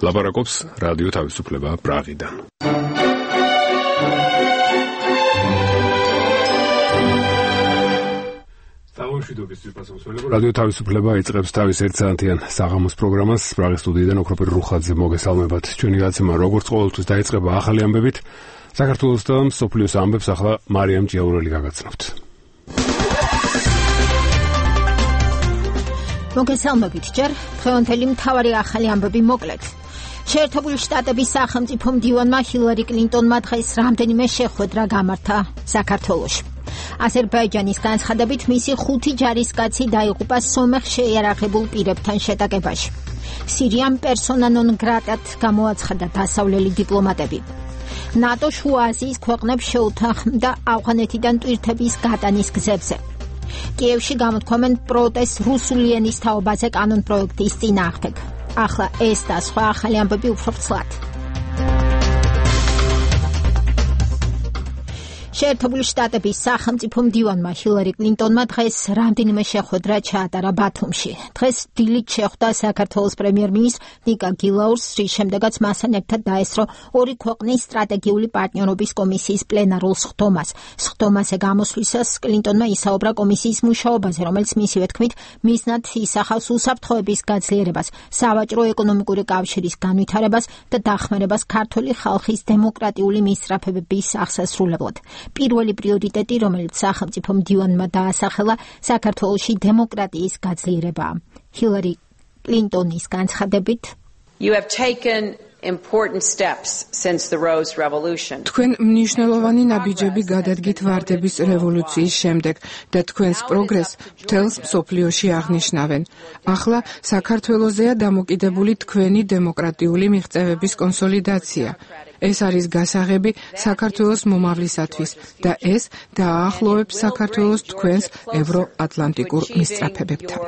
ლაპარაკობს რადიო თავისუფლება პრაღიდან. რადიო თავისუფლება იწყებს თავის ერთსაათიან საღამოს პროგრამას. პრაღის სტუდიიდან ოქროპირ რუხაძე მოგესალმებათ. ჩვენი გაცემა როგორც ყოველთვის დაიწყება ახალი ამბებით. საქართველოს და მსოფლიოს ამბებს ახლა მარიამ ჭიაურელი გაგაცნობთ. მოგესალმებით ჯერ დღევანდელი მთავარი ახალი ამბები მოკლედ. შეერთებული შტატების სახელმწიფო მდივანმა ჰილარი კლინტონმა დღეს რამდენიმე შეხვედრა გამართა საქართველოში. აზერბაიჯანის განცხადებით მისი 5 ჯარისკაცი დაიღუპა სომეხ შეიარაღებულ პირებთან შეტაკებაში. სირიამ პერსონა ნონ გრატად გამოაცხადა დასავლელი დიპლომატები. ნატო შუა აზიის ქვეყნებს შეუთანხმდა ავღანეთიდან ტვირთების გატანის გზებზე. კიევში გამოთქვამენ პროტესტს რუსული ენის თაობაზე კანონპროექტის წინააღმდეგ. ახლა ეს და სხვა ახალი ამბები უფრო ვრცლად. შეერთებული შტატების სახელმწიფო მდივანმა ჰილარი კლინტონმა დღეს რამდენიმე შეხვედრა ჩაატარა ბათუმში. დღეს დილით შეხვდა საქართველოს პრემიერ-მინისტრ ნიკა გილაურს, რის შემდეგაც მასთან ერთად დაესწრო ორი ქვეყნის სტრატეგიული პარტნიორობის კომისიის პლენარულ სხდომას. სხდომაზე გამოსვლისას კლინტონმა ისაუბრა კომისიის მუშაობაზე, რომელიც მისივე თქმით მიზნად ისახავს უსაფრთხოების გაძლიერებას, სავაჭრო-ეკონომიკური კავშირის განვითარებას და დახმარებას ქართული ხალხის დემოკრატიული მისწრაფებების აღსასრულებლად. პირველი პრიორიტეტი, რომელიც სახელმწიფო მდივანმა დაასახელა, საქართველოში დემოკრატიის გაძლიერებაა. ჰილარი კლინტონის განცხადებით, You have taken important steps since the Rose Revolution. თქვენ მნიშვნელოვანი ნაბიჯები გადადგით ვარდების რევოლუციის შემდეგ და თქვენს პროგრესს მთელს მსოფლიოში აღნიშნავენ. ახლა საქართველოსზეა დამოკიდებული თქვენი დემოკრატიული მიღწევების კონსოლიდაცია. ეს არის გასაღები საქართველოს მომავლისათვის და ეს დააახლოვებს საქართველოს თქვენს ევროატლანტიკურ მისწრაფებებთან.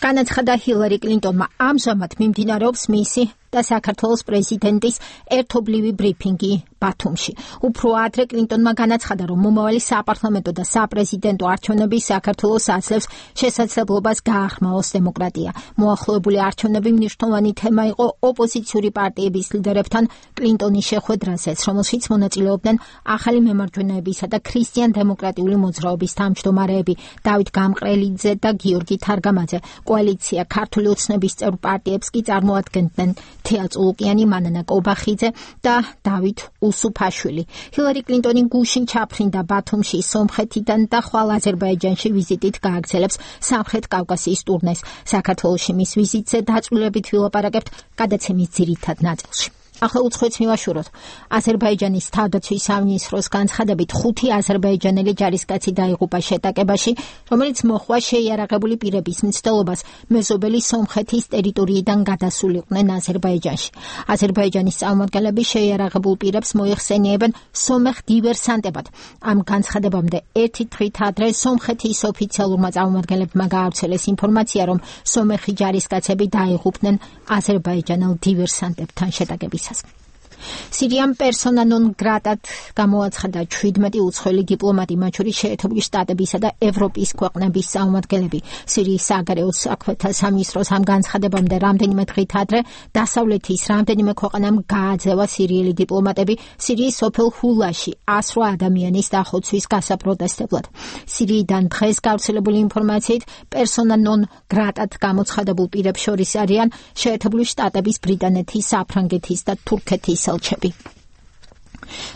განაცხადა ჰილარი კლინტონმა. ამჟამად მიმდინარეობს მისი და საქართველოს პრეზიდენტის ერთობლივი ბრიფინგი ბათუმში. უფრო ადრე კლინტონმა განაცხადა, რომ მომავალი საპარლამენტო და საპრეზიდენტო არჩევნები საქართველოს აძლევს შესაძლებლობას გააღრმაოს დემოკრატია. მოახლოებული არჩევნები მნიშვნელოვანი თემა იყო ოპოზიციური პარტიების ლიდერებთან კლინტონის შეხვედრაზეც, რომელშიც მონაწილეობდნენ ახალი მემარჯვენეებისა და ქრისტიან-დემოკრატიული მოძრაობის თავმჯდომარეები დავით გამყრელიძე და გიორგი თარგამაძე. კოალიცია ქართული ოცნების წევრ პარტიებს კი წარმოადგენდნენ თეა წულუკიანი, მანანა კობახიძე და დავით უსუფაშვილი. ჰილარი კლინტონი გუშინ ჩაფრინდა ბათუმში სომხეთიდან და ხვალ აზერბაიჯანში ვიზიტით გააგრძელებს სამხრეთ კავკასიის ტურნეს. საქართველოში მის ვიზიტზე დაწვრილებით ვილაპარაკებთ გადაცემის ძირითად ნაწილში. ახლა უცხოეთს მივაშუროთ. აზერბაიჯანის თავდაცვის სამინისტროს განცხადებით 5 აზერბაიჯანელი ჯარისკაცი დაიღუპა შეტაკებაში, რომელიც მოჰყვა შეიარაღებული პირების მცდელობას მეზობელი სომხეთის ტერიტორიიდან გადასულიყვნენ აზერბაიჯანში. აზერბაიჯანის წარმომადგენლები შეიარაღებულ პირებს მოიხსენიებენ სომეხ დივერსანტებად. ამ განცხადებამდე ერთი დღით ადრე სომხეთის ოფიციალურმა წარმომადგენლებმა გაავრცელეს ინფორმაცია, რომ სომეხი ჯარისკაცები დაიღუპნენ აზერბაიჯანელ დივერსანტებთან შეტაკების. სირიამ პერსონა ნონ გრატად გამოაცხადა 17 უცხოელი დიპლომატი, მათ შორის შეერთებული შტატებისა და ევროპის ქვეყნების წარმომადგენლები. სირიის საგარეო საქმეთა სამინისტროს ამ განცხადებამდე რამდენიმე დღით ადრე დასავლეთის რამდენიმე ქვეყანამ გააძევა სირიელი დიპლომატები სირიის სოფელ ჰულაში 108 ადამიანის დახოცვის გასაპროტესტებლად. სირიიდან დღეს გავრცელებული ინფორმაციით პერსონა ნონ გრატად გამოცხადებულ პირებს შორის არიან შეერთებული შტატების, ბრიტანეთის, საფრანგეთის და თურქეთის ელჩები.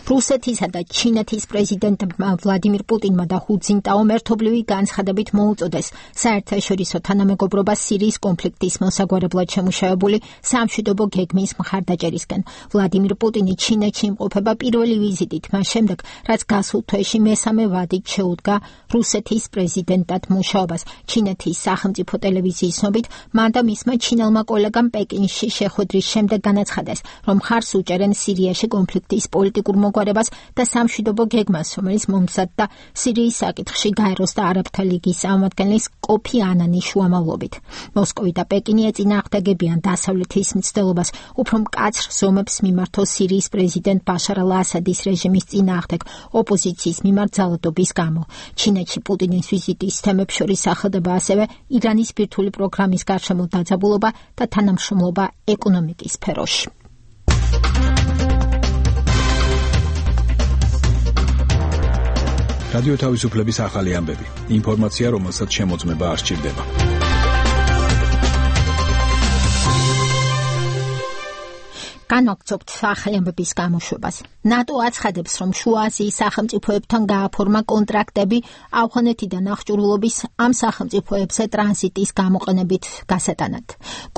რუსეთისა და ჩინეთის პრეზიდენტებმა ვლადიმირ პუტინმა და ჰუ ძინტაომ ერთობლივი განცხადებით მოუწოდეს საერთაშორისო თანამეგობრობას სირიის კონფლიქტის მოსაგვარებლად შემუშავებული სამშვიდობო გეგმის მხარდაჭერისკენ. ვლადიმირ პუტინი ჩინეთში იმყოფება პირველი ვიზიტით მას შემდეგ, რაც გასულ თვეში მესამე ვადით შეუდგა რუსეთის პრეზიდენტად მუშაობას. ჩინეთის სახელმწიფო ტელევიზიის ცნობით, მან და მისმა ჩინელმა კოლეგამ პეკინში შეხვედრის შემდეგ განაცხადეს, რომ მხარს უჭერენ სირიაში კონფლიქტის პოლიტიკურ პოლიტიკურ მოგვარებას და სამშვიდობო გეგმას, რომელიც მომზადდა სირიის საკითხში გაეროს და არაბთა ლიგის წარმომადგენლის კოფი ანანის შუამავლობით. მოსკოვი და პეკინი ეწინააღმდეგებიან დასავლეთის მცდელობას უფრო მკაცრ ზომებს მიმართოს სირიის პრეზიდენტ ბაშარ ალ-ასადის რეჟიმის წინააღმდეგ ოპოზიციის მიმართ ძალადობის გამო. ჩინეთში პუტინის ვიზიტის თემებს შორის სახელდება ასევე ირანის ბირთვული პროგრამის გარშემო დაძაბულობა და თანამშრომლობა ეკონომიკის სფეროში. რადიო თავისუფლების ახალი ამბები. ინფორმაცია, რომელსაც შემოწმება არ სჭირდება. განვაგრძობთ ახალი ამბების გამოშვებას. ნატო აცხადებს, რომ შუა აზიის სახელმწიფოებთან გააფორმა კონტრაქტები ავღანეთიდან აღჭურვილობის ამ სახელმწიფოებზე ტრანზიტის გამოყენებით გასატანად.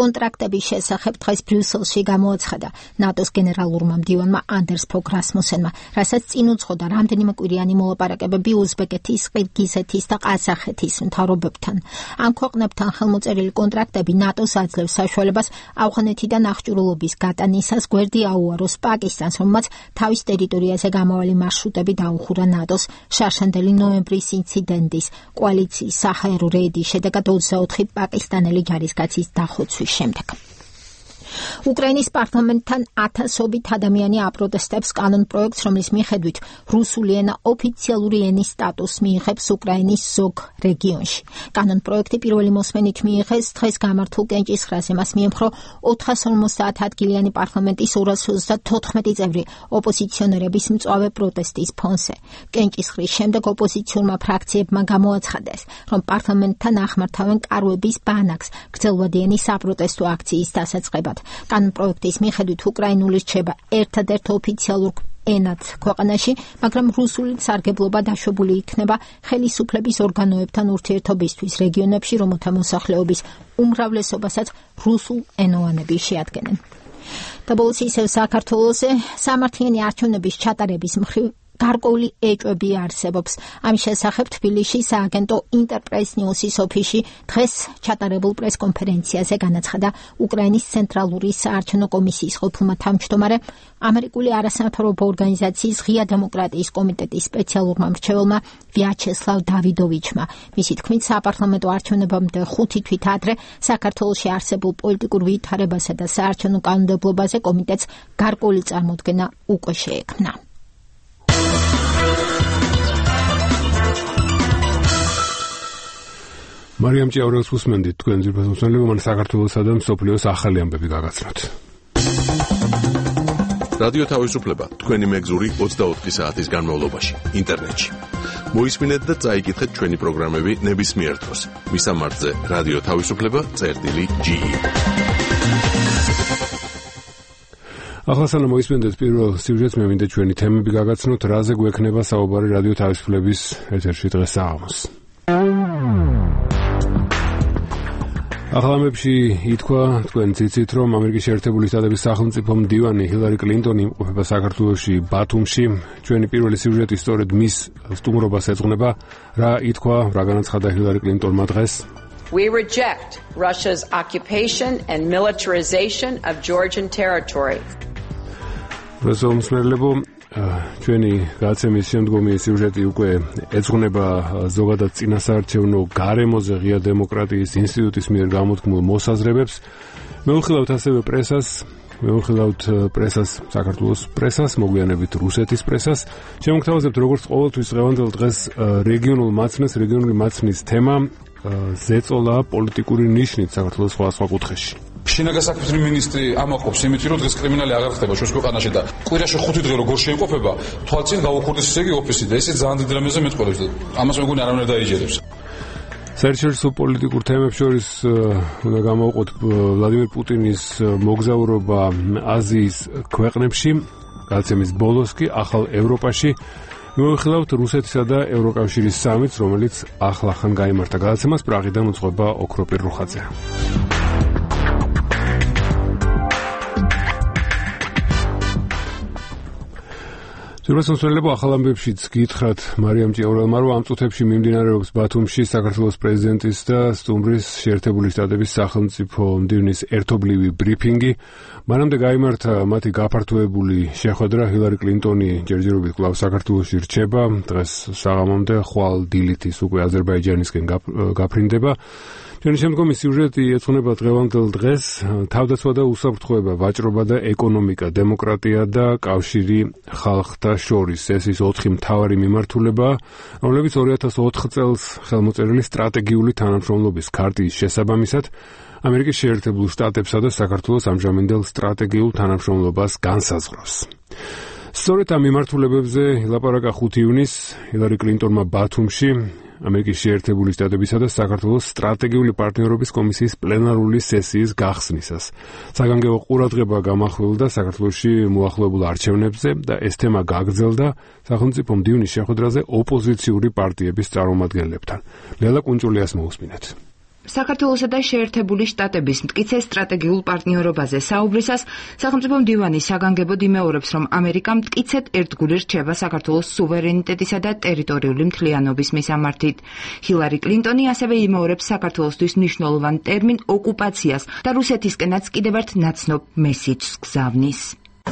კონტრაქტების შესახებ დღეს ბრიუსელში გამოაცხადა ნატოს გენერალურმა მდივანმა ანდერს ფოგ რასმუსენმა, რასაც წინ უძღოდა რამდენიმე კვირიანი მოლაპარაკებები უზბეკეთის, ყირგიზეთის და ყაზახეთის მთავრობებთან. ამ ქვეყნებთან ხელმოწერილი კონტრაქტები ნატოს აძლევს საშუალებას ავღანეთიდან აღჭურვილობის გატანისას გვერდი აუაროს პაკისტანს, რომელმაც თავის ტერიტორიაზე გამავალი მარშრუტები დაუხურა ნატოს შარშანდელი ნოემბრის ინციდენტის კოალიციის საჰაერო რეიდის შედეგად 24 პაკისტანელი ჯარისკაცის დახოცვის შემდეგ. უკრაინის პარლამენტთან ათასობით ადამიანი აპროტესტებს კანონპროექტს, რომლის მიხედვით რუსული ენა ოფიციალური ენის სტატუსს მიიღებს უკრაინის ზოგ რეგიონში. კანონპროექტი პირველი მოსმენით მიიღეს დღეს გამართულ კენჭისყრაზე. მას მიემხრო 450 ადგილიანი პარლამენტის 234 წევრი ოპოზიციონერების მწვავე პროტესტის ფონზე. კენჭისყრის შემდეგ ოპოზიციურმა ფრაქციებმა გამოაცხადეს, რომ პარლამენტთან ახმართავენ კარვების ბანაკს გრძელვადიანი საპროტესტო აქციის დასაწყებად. კანონპროექტის მიხედვით უკრაინული რჩება ერთადერთ ოფიციალურ ენად ქვეყანაში, მაგრამ რუსული სარგებლობა დაშვებული იქნება ხელისუფლების ორგანოებთან ურთიერთობისთვის რეგიონებში, რომელთა მოსახლეობის უმრავლესობასაც რუსულ ენოვანები შეადგენენ. და ბოლოს ისევ საქართველოზე სამართლიანი არჩევნების ჩატარების მხრივ გარკვეული ეჭვები არსებობს. ამის შესახებ თბილისში სააგენტო ინტერპრეს ნიუსის ოფისში დღეს ჩატარებულ პრესკონფერენციაზე განაცხადა უკრაინის ცენტრალური საარჩევნო კომისიის ყოფილმა თავმჯდომარე, ამერიკული არასამთავრობო ორგანიზაციის ღია დემოკრატიის კომიტეტის სპეციალურმა მრჩეველმა ვიაჩესლავ დავიდოვიჩმა. მისი თქმით, საპარლამენტო არჩევნებამდე 5 თვით ადრე საქართველოში არსებულ პოლიტიკურ ვითარებასა და საარჩევნო კანონმდებლობაზე კომიტეტს გარკვეული წარმოდგენა უკვე შეექმნა. მარიამ ჭიაურელს უსმენდით თქვენ ძირფას მოსმენლებო, მან საქართველოსა და მსოფლიოს ახალი ამბები გაგაცნოთ. რადიო თავისუფლება თქვენი მეგზური 24 საათის განმავლობაში ინტერნეტში. მოისმინეთ და წაიკითხეთ ჩვენი პროგრამები ნებისმიერ დროს. მისამართზე რადიო თავისუფლება.ge. ახლა სანამ მოისმენთ პირველ სიუჟეტს, მე მინდა ჩვენი თემები გაგაცნოთ, რაზე გვექნება საუბარი რადიო თავისუფლების ეთერში დღეს საღამოს. ახალამებში ითქვა, თქვენ ციცით, რომ ამერიკის შეერთებული შტატების სახელმწიფო მდივანი ჰილარი კლინტონი იმყოფება საქართველოში, ბათუმში. ჩვენი პირველი სიუჟეტი სწორედ მის სტუმრობას ეძღვნება. რა ითქვა, რა განაცხადა ჰილარი კლინტონმა დღეს? We reject Russia's occupation and militarization of Georgian territory. მოსმენლებო, ჩვენი გაცემის შემდგომი სიუჟეტი უკვე ეძღვნება ზოგადად წინასაარჩევნო გარემოზე ღია დემოკრატიის ინსტიტუტის მიერ გამოთქმულ მოსაზრებებს. მევიხილავთ ასევე პრესას, საქართველოს პრესას, მოგვიანებით რუსეთის პრესას. შემოგთავაზებთ როგორც ყოველთვის დღევანდელ დღეს რეგიონული მაცნის თემა ზეწოლა პოლიტიკური ნიშნით საქართველოს სხვა კუთხეში. შინაგან საქმეთა მინისტრი ამაყობს იმით, რომ დღეს კრიმინალი აღარ ხდება ჩვენს ქვეყანაში და კვირაში 5 დღე როგორ შეიმყოფება, თვალწინ გავუქურდეს ისე იგი ოფისი და ესე ძალიან დიდ რამეზე მეტყოლებს და ამას მეგონი არავინ არ დაიჯერებს. საერთაშორისო პოლიტიკურ თემებს შორის უნდა გამოვყოთ ვლადიმერ პუტინის მოგზაურობა აზიის ქვეყნებში, გაცემის ბოლოს კი ახალ ევროპაში. მივიხილავთ რუსეთისა და ევროკავშირის სამიტს, რომელიც ახლახან გაიმართა. გადაცემას პრაღიდან უძღვება ოქროპირ რუხაძე. Პირველსამსვლელობ ახალ ამბებშიც გითხრათ მარიამ ჭიაურელმა, რომ ამ წუთებში მიმდინარეობს ბათუმში საქართველოს პრეზიდენტის და სტუმრის შეერთებული შტატების სახელმწიფო მდივნის ერთობლივი ბრიფინგი. მანამდე გაიმართა მათი გაფართოებული შეხვედრა. ჰილარი კლინტონი ჯერჯერობით კვლავ საქართველოში რჩება. დღეს საღამომდე ხვალ დილითის უკვე აზერბაიჯანისკენ გაფრინდება. ჩვენი შემდგომი სიუჟეტი ეძღვნება დღევანდელ დღეს. თავდაცვა და უსაფრთხოება, ვაჭრობა და ეკონომიკა, დემოკრატია და კავშირი ხალხთა შორის. ეს ის 4 მთავარი მიმართულება, რომლებიც 2004 წელს ხელმოწერილი სტრატეგიული თანამშრომლობის ქარტიის შესაბამისად ამერიკის შეერთებულ შტატებსა და საქართველოს ამჟამინდელ სტრატეგიულ თანამშრომლობას განსაზღვრავს. სწორედ ამ მიმართულებებზე ილაპარაკა 5 ივნისს ჰილარი კლინტონმა ბათუმში ამერიკის შეერთებული შტატებისა და საქართველოს სტრატეგიული პარტნიორობის კომისიის პლენარული სესიის გახსნისას. საგანგებო ყურადღება გამახვილდა საქართველოში მოახლოებულ არჩევნებზე და ეს თემა გაგრძელდა სახელმწიფო მდივნის შეხვედრაზე ოპოზიციური პარტიების წარმომადგენლებთან. ლელა კუნჭულიას მოусმინეთ. საქართველოსა და შეერთებული შტატების მტკიცე სტრატეგიულ პარტნიორობაზე საუბრისას სახელმწიფო მდივანი საგანგებოდ იმეორებს, რომ ამერიკა მტკიცედ ერთგული რჩება საქართველოს სუვერენიტეტისა და ტერიტორიული მთლიანობის მისამართით. ჰილარი კლინტონი ასევე იმეორებს საქართველოსთვის მნიშვნელოვან ტერმინ ოკუპაციას და რუსეთისკენაც კიდევ ერთ ნაცნობ მესიჯს გზავნის.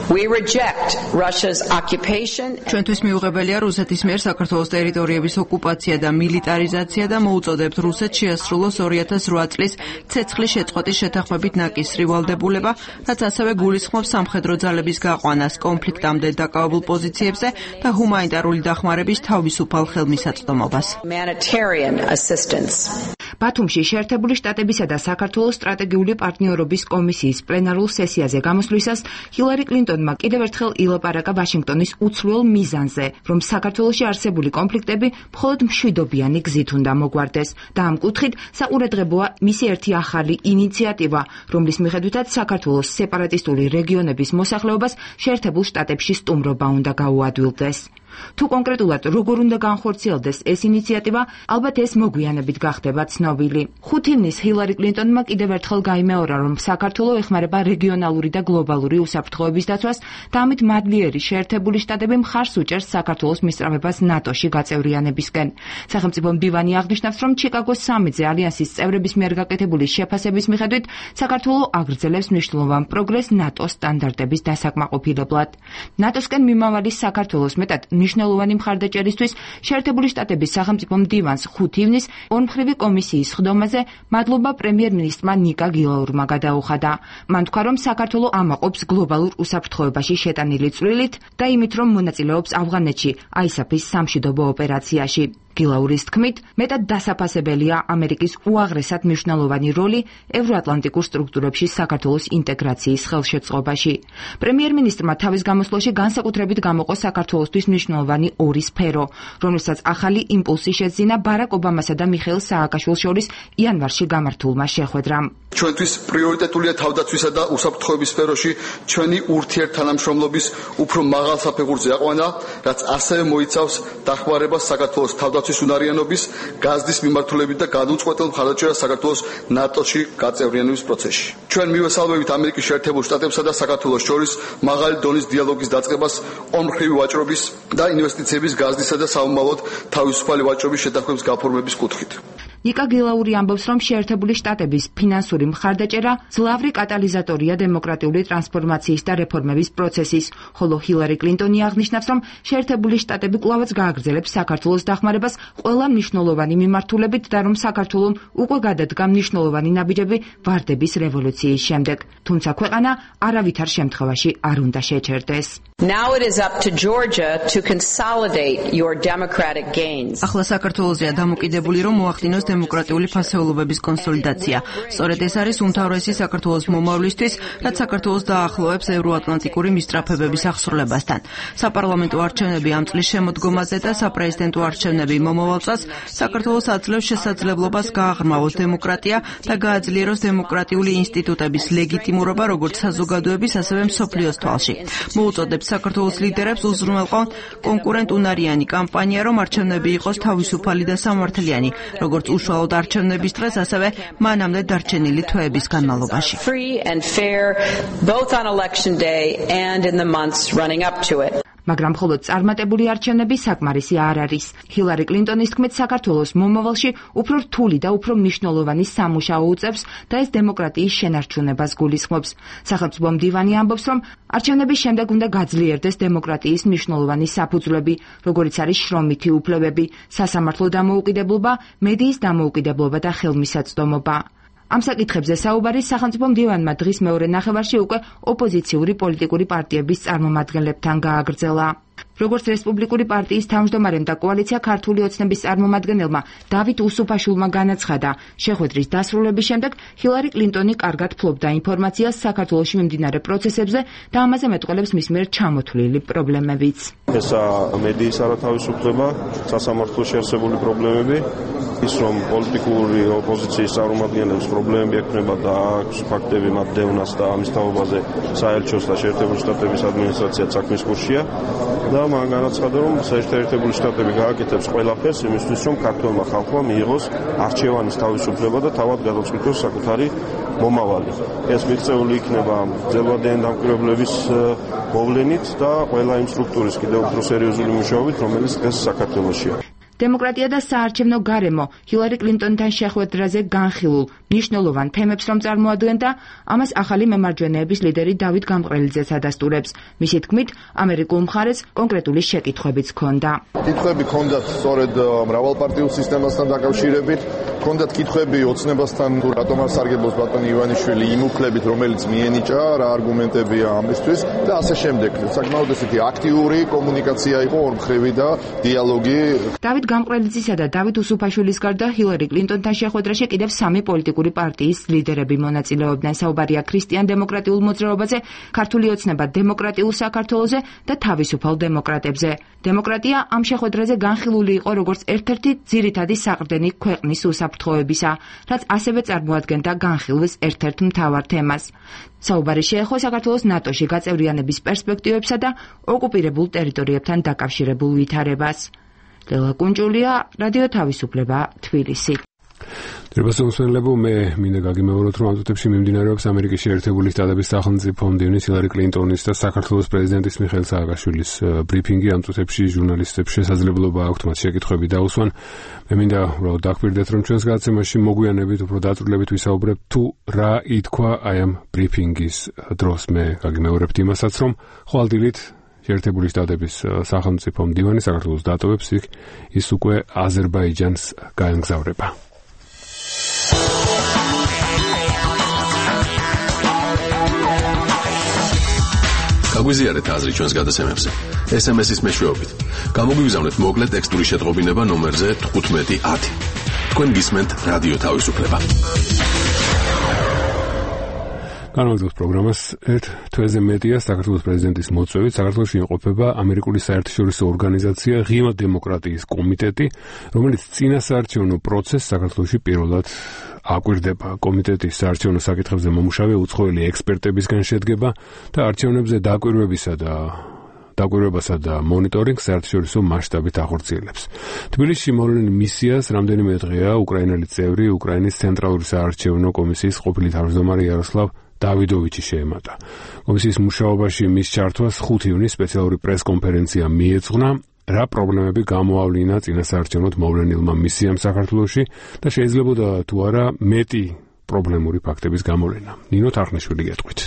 We reject Russia's occupation. ჩვენთვის მიუღებელია რუსეთის მიერ საქართველოს ტერიტორიების ოკუპაცია და მილიტარიზაცია და მოუწოდებთ რუსეთს შეასრულოს 2008 წლის ცეცხლის შეწყვეტის შეთანხმებით ნაკისრი ვალდებულება, რაც ასევე გულისხმობს სამხედრო ძალების გაყვანას კონფლიქტამდე დაკავებულ პოზიციებზე და ჰუმანიტარული დახმარების თავისუფალ ხელმისაწვდომობას. ბათუმში შეერთებული შტატებისა და საქართველოს სტრატეგიული პარტნიორობის კომისიის პლენარულ სესიაზე გამოსვლისას ჰილარი კლინტონმა კიდევ ერთხელ ილაპარაკა ვაშინგტონის უცვლელ მიზანზე, რომ საქართველოში არსებული კონფლიქტები მხოლოდ მშვიდობიანი გზით უნდა მოგვარდეს და ამ კუთხით საყურადღებოა მისი ერთი ახალი ინიციატივა, რომლის მიხედვითაც საქართველოს სეპარატისტული რეგიონების მოსახლეობას შეერთებულ შტატებში სტუმრობა უნდა გაუადვილდეს. თუ კონკრეტულად როგორ უნდა განხორციელდეს ეს ინიციატივა, ალბათ ეს მოგვიანებით გახდება ცნობილი. 5 ივნისს ჰილარი კლინტონმა კიდევ ერთხელ გაიმეორა, რომ საქართველო ეხმარება რეგიონალური და გლობალური უსაფრთხოების დაცვას და ამით მადლიერი შეერთებული შტატები მხარს უჭერს საქართველოს მისწრაფებას ნატოში გაწევრიანებისკენ. სახელმწიფო მდივანი აღნიშნავს, რომ ჩიკაგოს სამიტზე ალიანსის წევრების მიერ გაკეთებული შეფასების მიხედვით საქართველო აგრძელებს მნიშვნელოვან პროგრესს ნატოს სტანდარტების დასაკმაყოფილებლად. ნატოსკენ მიმავალი საქართველოს მეტად მნიშვნელოვანი მხარდაჭერისთვის შეერთებული შტატების სახელმწიფო მდივანს 5 ივნისს ორმხრივი კომისიის ხდომაზე მადლობა პრემიერ-მინისტრმა ნიკა გილაურმა გადაუხადა. მან თქვა, რომ საქართველო ამაყობს გლობალურ უსაფრთხოებაში შეტანილი წვლილით და იმით, რომ მონაწილეობს ავღანეთში ISAF-ის სამშვიდობო ოპერაციაში. გილაურის თქმით, მეტად დასაფასებელია ამერიკის უაღრესად მნიშვნელოვანი როლი ევროატლანტიკურ სტრუქტურებში საქართველოს ინტეგრაციის ხელშეწყობაში. პრემიერ-მინისტრმა თავის გამოსვლაში განსაკუთრებით გამოყო საქართველოსთვის მნიშვნელოვანი ორი სფერო, რომელსაც ახალი იმპულსი შეძინა ბარაკ ობამასა და მიხეილ სააკაშვილის შორის იანვარში გამართულმა შეხვედრამ. ჩვენთვის პრიორიტეტულია თავდაცვისა და უსაფრთხოების სფეროში ჩვენი ურთიერთთანამშრომლობის უფრო მაღალ საფეხურზე აყვანა, რაც ასევე მოიცავს დახმარებას საქართველოს თავდაცვის უნარიანობის, გაზდის მიმართულებით და გადაწყვეტილ მხარდაჭერას საქართველოს ნატოში გაწევრიანების პროცესში. ჩვენ მივესალმებით ამერიკის შეერთებულ შტატებსა და საქართველოს შორის მაღალი დონის დიალოგის დაწყებას ორმხრივი ვაჭრობის და ინვესტიციების გაზდისა და საომალოდ თავისუფალი ვაჭრობის შეთანხმების გაფორმების კუთხით. ნიკა გილაური ამბობს, რომ შეერთებული შტატების ფინანსური მხარდაჭერა ძლავრი კატალიზატორია დემოკრატიული ტრანსფორმაციის და რეფორმების პროცესის, ხოლო ჰილარი კლინტონი აღნიშნავს, რომ შეერთებული შტატები კვლავაც გააგრძელებს საქართველოს დახმარებას ყველა მნიშვნელოვანი მიმართულებით და რომ საქართველომ უკვე გადადგა მნიშვნელოვანი ნაბიჯები ვარდების რევოლუციის შემდეგ, თუმცა ქვეყანა არავითარ შემთხვევაში არ უნდა შეჩერდეს. Now it is up to Georgia to consolidate your democratic gains. ახლა საქართველოსია დამოკიდებული, რომ მოახდინოს დემოკრატიული ფასეულობების კონსოლიდაცია. სწორედ ეს არის უმთავრესი საქართველოს მომავლისთვის, რაც საქართველოს დაახლოებს ევროატლანტიკური მისწრაფებების აღსრულებასთან. საპარლამენტო არჩევნები ამ წლის შემოდგომაზე და საპრეზიდენტო არჩევნები მომავალ წელს საქართველოს აძლევს შესაძლებლობას გააღრმავოს დემოკრატია და გააძლიეროს დემოკრატიული ინსტიტუტების ლეგიტიმურობა როგორც საზოგადოების, ასევე მსოფლიოს თვალში. მოუწოდებს საქართველოს ლიდერებს უზრუნველყონ კონკურენტუნარიანი კამპანია, რომ არჩევნები იყოს თავისუფალი და სამართლიანი, როგორც უშუალოდ არჩევნების დღეს, ასევე მანამდე დარჩენილი თვეების განმავლობაში. მაგრამ მხოლოდ წარმატებული არჩევნები საკმარისი არ არის. ჰილარი კლინტონის თქმით, საქართველოს მომავალში უფრო რთული და უფრო მნიშვნელოვანი სამუშაო უწევს და ეს დემოკრატიის შენარჩუნებას გულისხმობს. სახელმწიფო მდივანი ამბობს, რომ არჩევნების შემდეგ უნდა გაძლიერდეს დემოკრატიის მნიშვნელოვანი საფუძვლები, როგორიც არის შრომითი უფლებები, სასამართლო დამოუკიდებლობა, მედიის დამოუკიდებლობა და ხელმისაწვდომობა. ამ საკითხებზე საუბარი სახელმწიფო მდივანმა დღის მეორე ნახევარში უკვე ოპოზიციური პოლიტიკური პარტიების წარმომადგენლებთან გააგრძელა. როგორც რესპუბლიკური პარტიის თავმჯდომარემ და კოალიცია ქართული ოცნების წარმომადგენელმა დავით უსუფაშვილმა განაცხადა, შეხვედრის დასრულების შემდეგ ჰილარი კლინტონი კარგად ფლობდა ინფორმაციას საქართველოში მიმდინარე პროცესებზე და ამაზე მეტყველებს მის მიერ ჩამოთვლილი პრობლემებიც. ესა მედიის არათავისუფლება, სასამართლოში არსებული პრობლემები, ის რომ პოლიტიკური ოპოზიციის წარმომადგენლებს პრობლემები ექნება და აქვს ფაქტები მათ დევნას და ამის თაობაზე საელჩოს და შეერთებული შტატების ადმინისტრაცია საქმის კურსია და მან განაცხადა, რომ შეერთებული შტატები გააკეთებს ყველაფერს იმისთვის, რომ ქართველმა ხალხმა მიიღოს არჩევანის თავისუფლება და თავად გადაწყვიტოს საკუთარი მომავალი. ეს მიღწეული იქნება ძელვადიანი დამკვირვებლების მოვლენით და ყველა იმ სტრუქტურის კიდევ უფრო სერიოზული მუშაობით, რომელიც დღეს საქართველოშია. დემოკრატია და საარჩევნო გარემო ჰილარი კლინტონთან შეხვედრაზე განხილულ მნიშვნელოვან თემებს რომ წარმოადგენდა, ამას ახალი მემარჯვენეების ლიდერი დავით გამყრელიძეც ადასტურებს. მისი თქმით, ამერიკულ მხარეს კონკრეტული შეკითხვებიც ჰქონდა. კითხვები ჰქონდათ სწორედ მრავალპარტიულ სისტემასთან დაკავშირებით, ჰქონდათ კითხვები ოცნებასთან, რატომ არ სარგებლობს ბატონი ივანიშვილი იმ უფლებით, რომელიც მიენიჭა, რა არგუმენტებია ამისთვის და ასე შემდეგ. საკმაოდ ესეთი აქტიური კომუნიკაცია იყო ორმხრივი და დიალოგი. დავით გამყრელიძისა და დავით უსუფაშვილის გარდა ჰილარი კლინტონთან შეხვედრაში კიდევ 3 პოლიტიკური პარტიის ლიდერები მონაწილეობდნენ. საუბარია ქრისტიან-დემოკრატიულ მოძრაობაზე, ქართული ოცნება დემოკრატიულ საქართველოზე და თავისუფალ დემოკრატებზე. დემოკრატია ამ შეხვედრაზე განხილული იყო როგორც ერთ-ერთი ძირითადი საყრდენი ქვეყნის უსაფრთხოებისა, რაც ასევე წარმოადგენდა განხილვის ერთ-ერთ მთავარ თემას. საუბარი შეეხო საქართველოს ნატოში გაწევრიანების პერსპექტივებსა და ოკუპირებულ ტერიტორიებთან დაკავშირებულ ვითარებას. ლელა კუნჭულია, რადიო თავისუფლება, თბილისი. Დებასონსვენლებო მე მინდა გაგიმეოროთ, რომ ამ წუთებში მიმდინარეობს ამერიკის შეერთებული შტატების სახელმწიფო მდივნის ჰილარი კლინტონის და საქართველოს პრეზიდენტის მიხეილ სააკაშვილის ბრიფინგი. ამ წუთებში ჟურნალისტებს შესაძლებლობა აქვთ მათ შეკითხვები დაუსვან. მე მინდა უბრალოდ დაგკვირდეთ, რომ ჩვენს გადაცემაში მოგვიანებით უფრო დაწვრილებით ვისაუბრებთ თუ რა ითქვა აი ამ ბრიფინგის დროს. მე გაგიმეორებთ იმასაც, რომ ხვალდილით შეერთებული შტატების სახელმწიფო მდივანი საქართველოს დატოვებს, იქ ის უკვე აზერბაიჯანს გაემგზავრება. გაგვიზიარეთ აზრი ჩვენს გადაცემებზე. SMS-ის მეშვეობით. გამოგვიგზავნეთ მოკლე ტექსტური შეტყობინება ნომერზე 1510. თქვენ გისმენთ რადიო თავისუფლება. განვაგრძელოთ პროგრამას. თვეზე მეტია საქართველოს პრეზიდენტის მოწვევით საქართველოში იმყოფება ამერიკული საერთაშორისო ორგანიზაცია ღია დემოკრატიის კომიტეტი, რომელიც წინასაარჩევნო პროცესს საქართველოში პირველად აკვირდება. კომიტეტის საარჩევნო საკითხებზე მომუშავე უცხოელი ექსპერტებისგან შედგება და არჩევნებზე დაკვირვებასა და მონიტორინგს საერთაშორისო მასშტაბით ახორციელებს. თბილისში მოვლენილ მისიას რამდენიმე დღეა უკრაინელი წევრი უკრაინის ცენტრალური საარჩევნო კომისიის ყოფილი თავმჯდომარე იაროსლავ დავიდოვიჩი შეემატა. კომისიის მუშაობაში მის ჩართვას 5 ივნის სპეციალური პრესკონფერენცია მიეძღვნა, რა პრობლემები გამოავლინა წინასაარჩევნოდ მოვლენილმა მისიამ საქართველოში და შეიძლებოდა თუ არა მეტი პრობლემური ფაქტების გამოვლენა. ნინო თარხნიშვილი გეტყვით.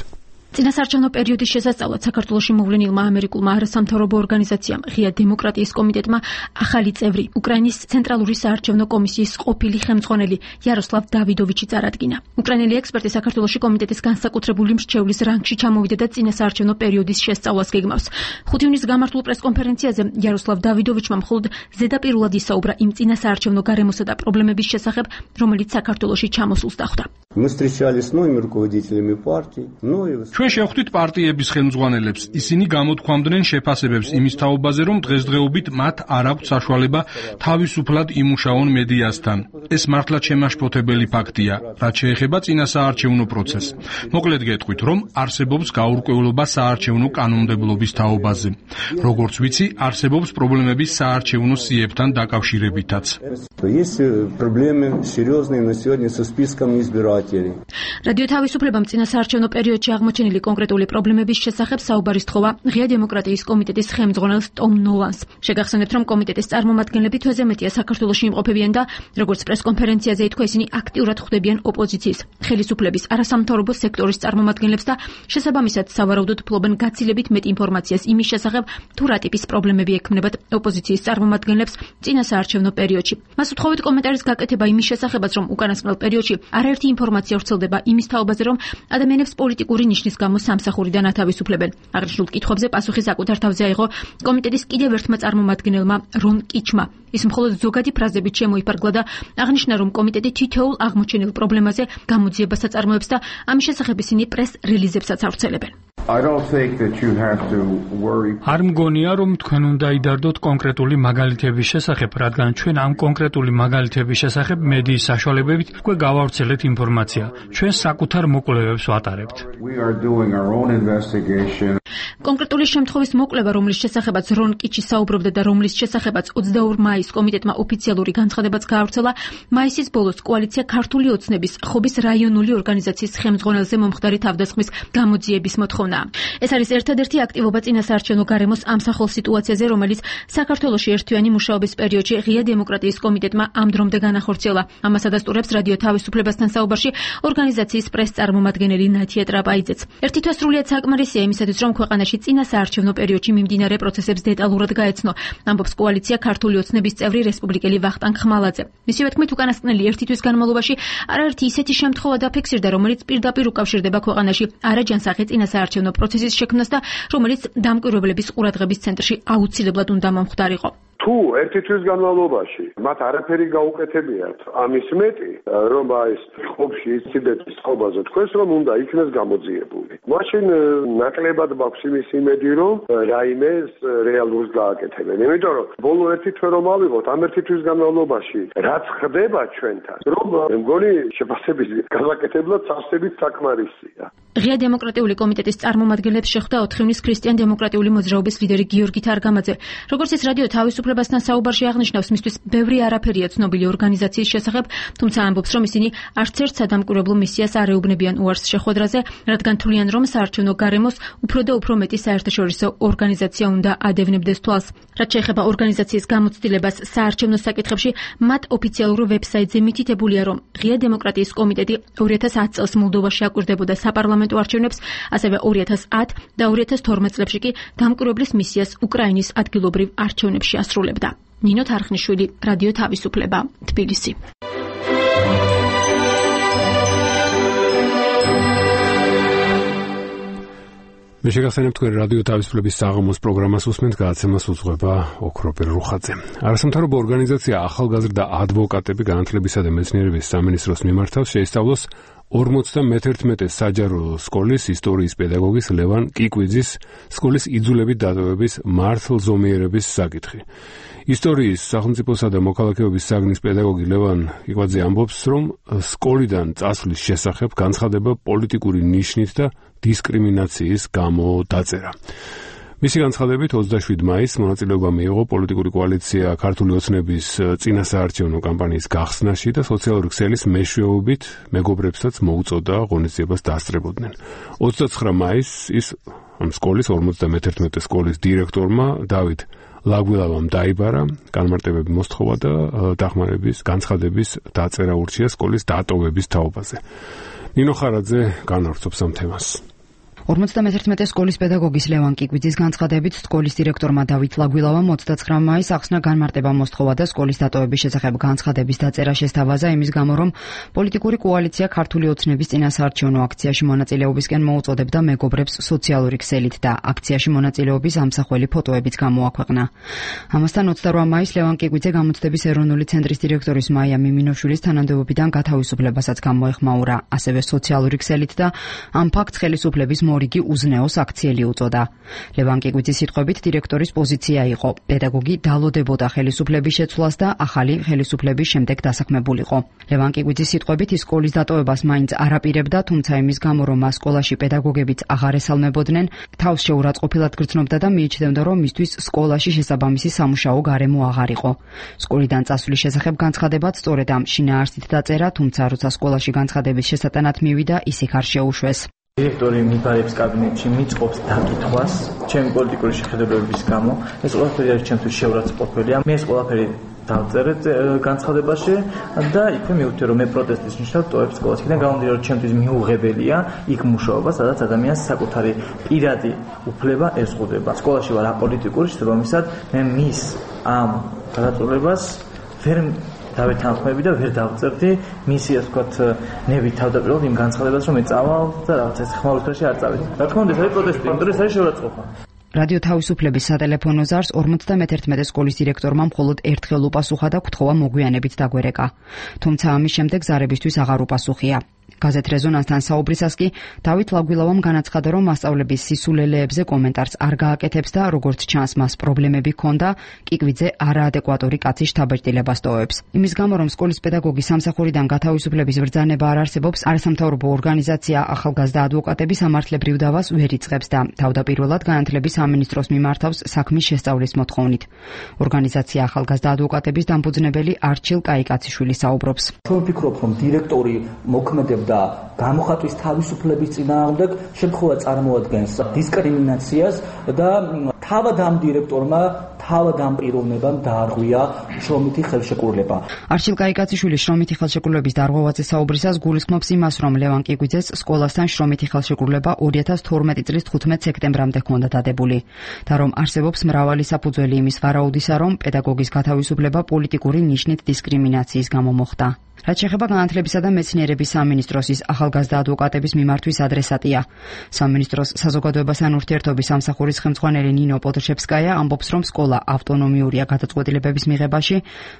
წინასაარჩევნო პერიოდის შესასწავლად საქართველოში მოვლენილმა ამერიკულმა არასამთავრობო ორგანიზაციამ ღია დემოკრატიის კომიტეტმა ახალი წევრი უკრაინის ცენტრალური საარჩევნო კომისიის ყოფილი ხელმძღვანელი იაროსლავ დავიდოვიჩი წარადგინა. უკრაინელი ექსპერტი საქართველოში კომიტეტის განსაკუთრებული მრჩევლის რანგში ჩამოვიდა და წინასაარჩევნო პერიოდის შესწავლას გეგმავს. 5 ივნის გამართულ პრესკონფერენციაზე იაროსლავ დავიდოვიჩმა მხოლოდ ზედაპირულად ისაუბრა იმ წინასაარჩევნო გარემოსა და პრობლემების შესახებ, რომელიც საქართველოში ჩამოსულს დახვდა. ჩვენ შევხვდით პარტიების ხელმძღვანელებს. ისინი გამოთქვამდნენ შეფასებებს იმის თაობაზე, რომ დღესდღეობით მათ არ აქვთ საშუალება თავისუფლად იმუშაონ მედიასთან. ეს მართლაც შემაშფოთებელი ფაქტია, რაც შეეხება წინასაარჩევნო პროცესს. მოკლედ გეტყვით, რომ არსებობს გაურკვევლობა საარჩევნო კანონმდებლობის თაობაზე. როგორც ვიცი, არსებობს პრობლემები საარჩევნო სიებთან დაკავშირებითაც. რადიო თავისუფლებამ წინასაარჩევნო პერიოდში აღმოჩენილი შემდგენელი კონკრეტული პრობლემების შესახებ საუბარი სთხოვა ღია დემოკრატიის კომიტეტის ხელმძღვანელს ტომ ნოლანს. შეგახსენებთ, რომ კომიტეტის წარმომადგენლები თვეზე მეტია საქართველოში იმყოფებიან და როგორც პრესკონფერენციაზე ითქვა, ისინი აქტიურად ხვდებიან ოპოზიციის, ხელისუფლების, არასამთავრობო სექტორის წარმომადგენლებს და შესაბამისად სავარაუდოდ ფლობენ გაცილებით მეტ ინფორმაციას იმის შესახებ, თუ რა ტიპის პრობლემები ექმნებათ ოპოზიციის წარმომადგენლებს წინასაარჩევნო პერიოდში. მას უთხოვეთ კომენტარის გაკეთება იმის შესახებაც, რომ უკანასკნელ პერიოდში არაერთი ინფორმაცია ვრცელდება იმის თაობაზე, რომ ადამიანებს პოლიტიკური ნიშნის გამო სამსახურიდან ათავისუფლებენ. აღნიშნულ კითხვებზე პასუხი საკუთარ თავზე აიღო კომიტეტის კიდევ ერთმა წარმომადგენელმა რონ კიჩმა. ის მხოლოდ ზოგადი ფრაზებით შემოიფარგლა და აღნიშნა, რომ კომიტეტი თითოეულ აღმოჩენილ პრობლემაზე გამოძიებას აწარმოებს და ამის შესახებ ისინი პრეს-რელიზებსაც ავრცელებენ. არ მგონია, რომ თქვენ უნდა იდარდოთ კონკრეტული მაგალითების შესახებ, რადგან ჩვენ ამ კონკრეტული მაგალითების შესახებ მედიის საშუალებებით უკვე გავავრცელეთ ინფორმაცია. ჩვენ საკუთარ მოკვლევებს ვატარებთ. კონკრეტული შემთხვევის მოკვლევა, რომლის შესახებაც რონ კიჩი საუბრობდა და რომლის შესახებაც 22 მაისს კომიტეტმა ოფიციალური განცხადებაც გაავრცელა, მაისის ბოლოს კოალიცია ქართული ოცნების ხობის რაიონული ორგანიზაციის ხელმძღვანელზე მომხდარი თავდასხმის გამოძიების მოთხოვნა. ეს არის ერთადერთი აქტივობა წინასაარჩევნო გარემოს ამსახველ სიტუაციაზე, რომელიც საქართველოში ერთთვიანი მუშაობის პერიოდში ღია დემოკრატიის კომიტეტმა ამ დრომდე განახორციელა. ამას ადასტურებს რადიო თავისუფლებასთან საუბარში ორგანიზაციის პრეს-წარმომადგენელი ნათია ტრაპაიძეც. ერთი თვე სრულიად საკმარისია იმისათვის, რომ ქვეყანაში წინასაარჩევნო პერიოდში მიმდინარე პროცესებს დეტალურად გაეცნო, ამბობს კოალიცია ქართული ოცნების წევრი რესპუბლიკელი ვახტანგ ხმალაძე. მისივე თქმით, უკანასკნელი ერთი თვის განმავლობაში არაერთი ისეთი შემთხვევა დაფიქსირდა, რომელიც პირდაპირ უკავშირდება ქვეყანაში არაჯანსაღი წინასაარჩევნო პროცესის შექმნას და რომელიც დამკვირვებლების ყურადღების ცენტრში აუცილებლად უნდა მომხდარიყო. თუ ერთი თვის განმავლობაში მათ არაფერი გაუკეთებიათ, ამის მეტი, რომ ეს ხობში ინციდენტის ხობაზე თქვენს რომ უნდა იქნეს გამოძიებული. მაშინ ნაკლებად მაქვს იმის იმედი, რომ რაიმე რეალურს გააკეთებენ. იმიტომ რომ ბოლო ერთი თვე რომ ავიღოთ, ამ ერთი თვის განმავლობაში რაც ხდება ჩვენთან, რომ მგონი შეფასების გასაკეთებლად სასწრებით საკმარისია. ღია დემოკრატიული კომიტეტის წარმომადგენლებს შეხვდა 4 ივნის ქრისტიან-დემოკრატიული მოძრაობის ლიდერი გიორგი თარგამაძე. როგორც ის რადიო თავისუფლებასთან საუბარში აღნიშნავს, მისთვის ბევრი არაფერია ცნობილი ორგანიზაციის შესახებ, თუმცა ამბობს, რომ ისინი არც ერთ სადამკვირვებლო მისიას არ ეუბნებიან უარს შეხვედრაზე, რადგან თვლიან, რომ საარჩევნო გარემოს უფრო და უფრო მეტი საერთაშორისო ორგანიზაცია უნდა ადევნებდეს თვალს. რაც შეეხება ორგანიზაციის გამოცდილებას საარჩევნო საკითხებში, მათ ოფიციალურ ვებსაიტზე მითითებულია, რომ ღია დემოკრატიის კომიტეტი 2010 წელს მოლდოვაში აკვირდებოდა საპარლამენტო არჩევნებს, ასევე 2010 და 2012 წლებში კი დამკვირვებლის მისიას უკრაინის ადგილობრივ არჩევნებში ასრულებდა. ნინო თარხნიშვილი, რადიო თავისუფლება, თბილისი. მე შეგახსენებთ, თქვენ რადიო თავისუფლების საღამოს პროგრამას უსმენთ, გადაცემას უძღვება ოქროპირ რუხაძე. არასამთავრობო ორგანიზაცია ახალგაზრდა ადვოკატები განათლებისა და მეცნიერების სამინისტროს მიმართავს შეისწავლოს 51 საჯარო სკოლის ისტორიის პედაგოგის ლევან კიკვიძის სკოლის იძულებით დატოვების მართლზომიერების საკითხი. ისტორიის სახელმწიფოსა და მოქალაქეობის საგნის პედაგოგი ლევან კიკვიძე ამბობს, რომ სკოლიდან წასვლის შესახებ განცხადება პოლიტიკური ნიშნით და დისკრიმინაციის გამო დაწერა. მისი განცხადებით 27 მაისს მონაწილეობა მიიღო პოლიტიკური კოალიცია ქართული ოცნების წინასაარჩევნო კამპანიის გახსნაში და სოციალური ქსელის მეშვეობით მეგობრებსაც მოუწოდა ღონისძიებას დასწრებოდნენ. 29 მაისს ის ამ სკოლის 51 სკოლის დირექტორმა დავით ლაგვილავამ დაიბარა, განმარტებები მოსთხოვა და დახმარების განცხადების დაწერა ურჩია სკოლის დატოვების თაობაზე. ნინო ხარაძე განავრცობს ამ თემას. 51 სკოლის პედაგოგის ლევან კიკვიძის განცხადებით სკოლის დირექტორმა დავით ლაგვილავამ 29 მაისს ახსნა განმარტება მოსთხოვა და სკოლის დატოვების შესახებ განცხადების დაწერა შესთავაზა იმის გამო, რომ პოლიტიკური კოალიცია ქართული ოცნების წინასაარჩევნო აქციაში მონაწილეობისკენ მოუწოდებდა მეგობრებს სოციალური ქსელით და აქციაში მონაწილეობის ამსახველი ფოტოებიც გამოაქვეყნა. ამასთან 28 მაისს ლევან კიკვიძე გამოცდების ეროვნული ცენტრის დირექტორის მაია მიმინოშვილის თანამდებობიდან გათავისუფლებასაც გამოეხმაურა, ასევე სოციალური ქსელით და ამ ფაქტს ხელისუფლების მორიგი უზნეოს აქციელი უწოდა. ლევან კიკვიძის სიტყვებით დირექტორის პოზიცია იყო. პედაგოგი დალოდებოდა ხელისუფლების შეცვლას და ახალი ხელისუფლების შემდეგ დასაქმებულიყო. ლევან კიკვიძის სიტყვებით ის სკოლის დატოვებას მაინც არ აპირებდა, თუმცა იმის გამო, რომ მას სკოლაში პედაგოგებიც აღარ ესალმებოდნენ, თავს შეურაცხყოფილად გრძნობდა და მიიჩნევდა, რომ მისთვის სკოლაში შესაბამისი სამუშაო გარემო აღარ იყო. სკოლიდან წასვლის შესახებ განცხადებაც სწორედ ამ შინაარსით დაწერა, თუმცა როცა სკოლაში განცხადების შესატანად მივიდა, ის იქ არ შეუშვეს. დირექტორი მიბარებს კაბინეტში, მიწყობს დაკითხვას ჩემი პოლიტიკური შეხედულებების გამო. ეს ყველაფერი არის ჩემთვის შეურაცხყოფელია. მე ეს ყველაფერი დავწერეთ განცხადებაში და იქვე მივხვდი, რომ მე პროტესტის ნიშნად ტოვებ სკოლას. იქიდან გამომდინარე, რომ ჩემთვის მიუღებელია იქ მუშაობა, სადაც ადამიანს საკუთარი პირადი უფლება ezღუდება. სკოლაში ვარ აპოლიტიკური, შესაბამისად მე მის ამ გადაწყვეტილებას ვერ დავეთანხმები და ვერ დავწერდი მისი, ასე ვთქვათ, ნებით თავდაპირველად იმ განცხადებას, რომ მე წავალ და რაღაც ეს ხმაურთაში არ წავედი. რა თქმა უნდა, ეს არის პროტესტი, იმიტომ რომ ეს არის შეურაცხყოფა. რადიო თავისუფლების სატელეფონო ზარს 51 სკოლის დირექტორმა მხოლოდ ერთხელ უპასუხა და კითხვა მოგვიანებით დაგვერეკა. თუმცა ამის შემდეგ ზარებისთვის აღარ უპასუხია. გაზეთ რეზონანსთან საუბრისას კი დავით ლაგვილავამ განაცხადა, რომ მასწავლების სისულელეებზე კომენტარს არ გააკეთებს და როგორც ჩანს, მას პრობლემები ჰქონდა, კიკვიძე არაადეკვატური კაცის შთაბეჭდილებას ტოვებს. იმის გამო, რომ სკოლის პედაგოგი სამსახურიდან გათავისუფლების ბრძანება არ არსებობს, არასამთავრობო ორგანიზაცია ახალგაზრდა ადვოკატების ამართლებრივ დავას ვერ იწყებს და თავდაპირველად განათლების სამინისტროს მიმართავს საქმის შესწავლის მოთხოვნით. ორგანიზაცია ახალგაზრდა ადვოკატების დამფუძნებელი არჩილ კაიკაციშვილი საუბრობს. ვფიქრობ, რომ დირექტორი მოქმედებდა გამოხატვის თავისუფლების წინააღმდეგ შემთხვევა წარმოადგენს დისკრიმინაციას და თავად ამ დირექტორმა თავად ამ პიროვნებამ დაარღვია შრომითი ხელშეკრულება. არჩილ კაიკაციშვილი შრომითი ხელშეკრულების დარღვევაზე საუბრისას გულისხმობს იმას, რომ ლევან კიკვიძეს სკოლასთან შრომითი ხელშეკრულება 2012 წლის 15 სექტემბრამდე ჰქონდა დადებული და რომ არსებობს მრავალი საფუძველი იმის ვარაუდისა, რომ პედაგოგის გათავისუფლება პოლიტიკური ნიშნით დისკრიმინაციის გამო მოხდა. რაც შეეხება განათლებისა და მეცნიერების სამინისტროს ახალგაზრდა ადვოკატების მიმართვის ადრესატია. სამინისტროს საზოგადოებასთან ურთიერთობის სამსახურის ხელმძღვანელი ნინო პოდრშევსკაია ამბობს, რომ სკოლა ავტონომიურია გადაწყვეტილებების მიღებაში,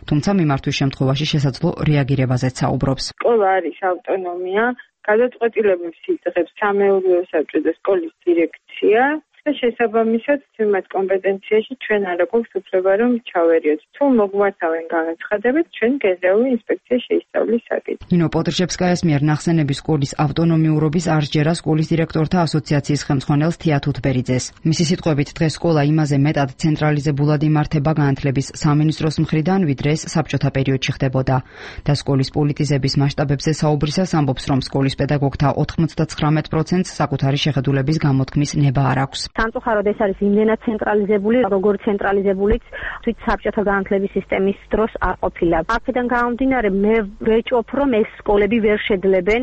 თუმცა მიმართვის შემთხვევაში შესაძლო რეაგირებაზეც საუბრობს. სკოლა არის ავტონომია, გადაწყვეტილებებს იღებს სამეურვეო საბჭო და სკოლის დირექცია. და შესაბამისად მათ კომპეტენციაში ჩვენ არ აქვს უფლება რომ ჩავერიოთ. თუ მოგვართავენ განაცხადებით, ჩვენ გენერალური ინსპექცია შეისწავლის საკითხს. ნინო პოდრშევსკაიას მიერ ნახსენების სკოლის ავტონომიურობის არ ჯერა სკოლის დირექტორთა ასოციაციის ხელმძღვანელს თია თუთბერიძეს. მისი სიტყვებით, დღეს სკოლა იმაზე მეტად ცენტრალიზებულად იმართება განათლების სამინისტროს მხრიდან, ვიდრე ეს საბჭოთა პერიოდში ხდებოდა. და სკოლის პოლიტიზების მასშტაბებზე საუბრისას ამბობს, რომ სკოლის პედაგოგთა 99%-ს საკუთარი შეხედულების გამოთქმის ნება არ აქვს. სამწუხაროდ ეს არის იმდენად ცენტრალიზებული, როგორც ცენტრალიზებულიც თვით საბჭოთა განათლების სისტემის დროს არ ყოფილა. აქედან გამომდინარე, მე ვეჭვობ, რომ ეს სკოლები ვერ შეძლებენ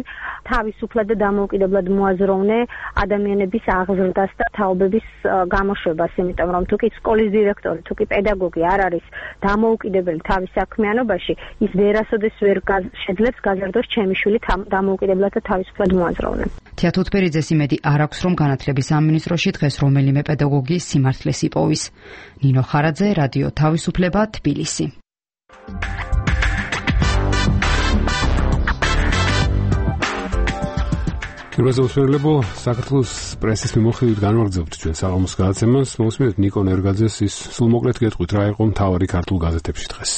თავისუფლად და დამოუკიდებლად მოაზროვნე ადამიანების აღზრდას და თაობების გამოშვებას, იმიტომ რომ თუ კი სკოლის დირექტორი, თუ კი პედაგოგი არ არის დამოუკიდებელი თავის საქმიანობაში, ის ვერასოდეს ვერ შეძლებს გაზრდოს ჩემი შვილი დამოუკიდებლად და თავისუფლად მოაზროვნე. თია თუთბერიძეს იმედი არ აქვს, რომ განათლების სამინისტროში დღეს რომელიმე პედაგოგი სიმართლეს იპოვის. ნინო ხარაძე, რადიო თავისუფლება, თბილისი. პირველსაუბრელებო, საქართველოს პრესის მიმოხილვით განვაგრძობთ ჩვენ საღამოს გადაცემას. მოусმინეთ ნიკო ნერგაძეს ის სულმოკლედ გეტყვით რა იყო მთავარი ქართულ გაზეთებში დღეს.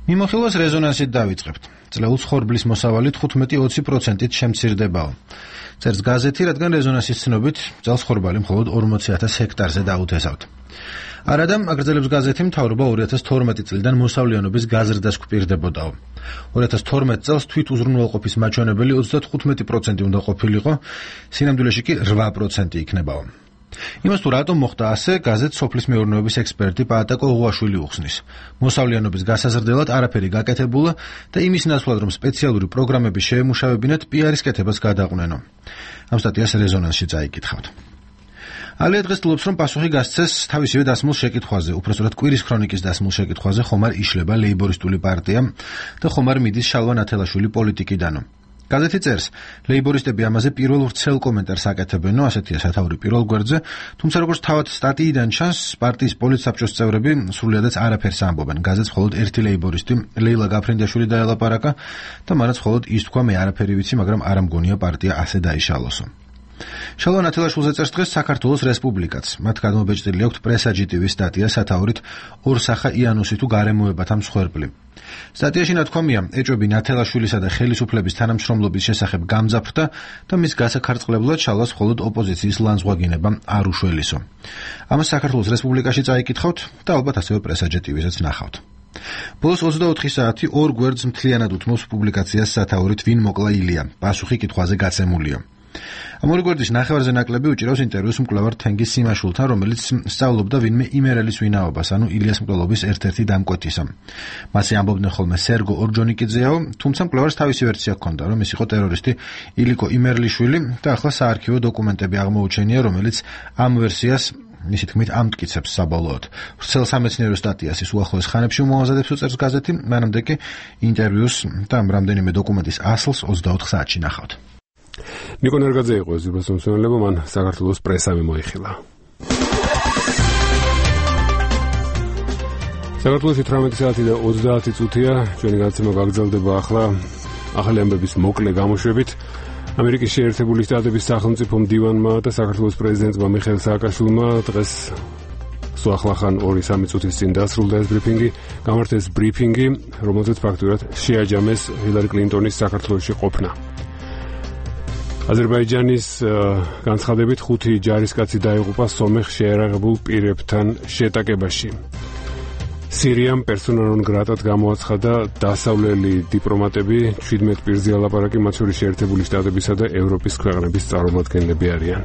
მიმოხილვას რეზონანსით დავიწყებთ. წლეულ ხორბლის მოსავალი 15-20%-ით შემცირდებაო. წერს გაზეთი, რადგან რეზონანსის ცნობით წელს ხორბალი მხოლოდ 40,000 ჰექტარზე დაუთესავთ. არადამ აგრძელებს გაზეთი, მთავრობა 2012 წლიდან მოსავლიანობის გაზრდას გვპირდებოდაო. 2012 წელს თვით უზრუნველყოფის მაჩვენებელი 35% უნდა ყოფილიყო, სინამდვილეში კი 8% იქნებაო. იმას თუ რატომ მოხდა ასე, გაზეთს სოფლის მეურნეობის ექსპერტი პაატაკო უღვაშვილი უხსნის. მოსავლიანობის გასაზრდელად არაფერი გაკეთებულა და იმის ნაცვლად, რომ სპეციალური პროგრამები შეემუშავებინათ, პიარის კეთებას გადაყვნენო. ამ სტატიას რეზონანსში წაიკითხავთ. ალია დღეს თვლობს, რომ პასუხი გასცეს თავისივე დასმულ შეკითხვაზე, უпростоრად კვირის ქრონიკის დასმულ შეკითხვაზე, ხომ არ იშლება ლეიბორისტული პარტია და ხომ არ მიდის შალვა ნათელაშვილი პოლიტიკიდანო. გაზეთი წერს, ლეიბორისტები ამაზე პირველ ვრცელ კომენტარს აკეთებენო, ასეთია სათაური პირველ გვერდზე, თუმცა როგორც თავად სტატიიდან ჩანს, პარტიის პოლიტსაბჭოს წევრები სრულიადაც არაფერს ამბობენ. გაზეთს მხოლოდ ერთი ლეიბორისტი, ლეილა გაფრინდაშვილი დაელაპარაკა და მანაც მხოლოდ ის თქვა, მე არაფერი ვიცი, მაგრამ არ ამგონია პარტია ასე დაიშალოსო. შალვა ნათელაშვილზე წერს დღეს საქართველოს რესპუბლიკაც. მათ გადმობეჭდილი აქვთ პრესაჯიტივის სტატია სათაურით ორსახა იანუსი თუ გარემოებათა მსხვერპლი. სტატიაში ნათქვამია, ეჭვები ნათელაშვილისა და ხელისუფლების თანამშრომლობის შესახებ გამძაფრდა და მის გასაქარწყლებლად შალვას მხოლოდ ოპოზიციის ლანძღვაგინება არ უშველისო. ამას საქართველოს რესპუბლიკაში წაიკითხავთ და ალბათ ასევე პრესაჯიტივისაც ნახავთ. ბოლოს 24 საათი ორ გვერდს მთლიანად უთმობს პუბლიკაციას სათაურით ვინ მოკლა ილია, პასუხი კითხვაზე გაცემულია. ამ ორი გვერდის ნახევარზე ნაკლები უჭირავს ინტერვიუს მკვლევარ თენგიზ სიმაშულთან, რომელიც სწავლობდა ვინმე იმერელის ვინაობას, ანუ ილიას მკვლელობის ერთ-ერთი დამკვეთისა. მასზე ამბობდნენ ხოლმე სერგო ორჯონიკიძეაო, თუმცა მკვლევარს თავისი ვერსია ჰქონდა, რომ ის იყო ტერორისტი ილიკო იმერლიშვილი და ახლა საარქივო დოკუმენტები აღმოუჩენია, რომელიც ამ ვერსიას მისი თქმით ამტკიცებს საბოლოოდ. ვრცელ სამეცნიერო სტატიას ის უახლოეს ხანებში უმოაზადებს უწერს გაზეთი, მანამდე კი ინტერვიუს და რამდენიმე დოკუმენტის ასლს 24 საათში ნახავთ. ნიკო ნერგაძე იყო ეს უბრალოდ მან საქართველოს პრესა მოიხილა. საქართველოში 18 საათი და 30 წუთია, ჩვენი გადაცემა გაგრძელდება ახლა ახალი ამბების მოკლე გამოშვებით. ამერიკის შეერთებული შტატების სახელმწიფო მდივანმა და საქართველოს პრეზიდენტმა მიხეილ სააკაშვილმა დღეს სუახლახან 2-3 წუთის წინ დასრულდა ეს ბრიფინგი, გამართეს ბრიფინგი, რომელზეც ფაქტურად შეაჯამეს ჰილარი კლინტონის საქართველოში ყოფნა. აზერბაიჯანის განცხადებით 5 ჯარისკაცი დაიღუპა სომეხ შეერაღებულ პირებთან შეტაკებაში. სირიამ პერსონა ნონ გრატად გამოაცხადა დასავლელი დიპლომატები, 17 პირზე ალაპარაკი, მათ შორის შეერთებული შტატებისა და ევროპის ქვეყნების წარმომადგენლები არიან.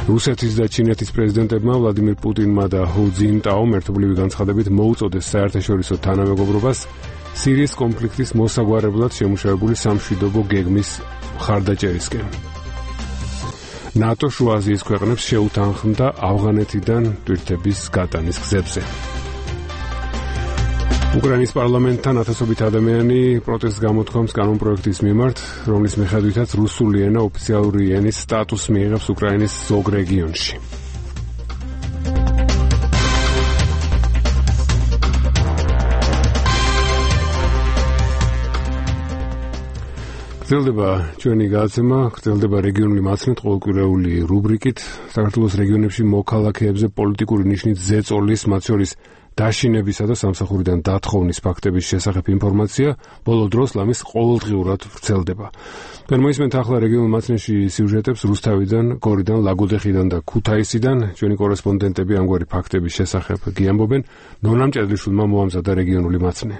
რუსეთის და ჩინეთის პრეზიდენტებმა ვლადიმირ პუტინმა და ჰუ ძინტაომ ერთობლივი განცხადებით მოუწოდეს საერთაშორისო თანამეგობრობას სირიის კონფლიქტის მოსაგვარებლად შემუშავებული სამშვიდობო გეგმის მხარდაჭერისკენ. ნატო შუა აზიის ქვეყნებს შეუთანხმდა ავღანეთიდან ტვირთების გატანის გზებზე. უკრაინის პარლამენტთან ათასობით ადამიანი პროტესტს გამოთქვამს კანონპროექტის მიმართ, რომლის მიხედვითაც რუსული ენა ოფიციალური ენის სტატუსს მიიღებს უკრაინის ზოგ რეგიონში. გრძელდება ჩვენი გადაცემა, გრძელდება რეგიონული მაცნეთ ყოველკვირეული რუბრიკით, საქართველოს რეგიონებში მოქალაქეებზე პოლიტიკური ნიშნით ზეწოლის, მათ შორის დაშინებისა და სამსახურიდან დათხოვნის ფაქტების შესახებ ინფორმაცია ბოლო დროს ლამის ყოველდღიურად ვრცელდება. მოისმენთ ახლა რეგიონულ მაცნეთში სიუჟეტებს რუსთავიდან, გორიდან, ლაგოდეხიდან და ქუთაისიდან. ჩვენი კორესპონდენტები ამგვარი ფაქტების შესახებ გიამბობენ. ნონა მჭედლიშვილმა მოამზადა რეგიონული მაცნე.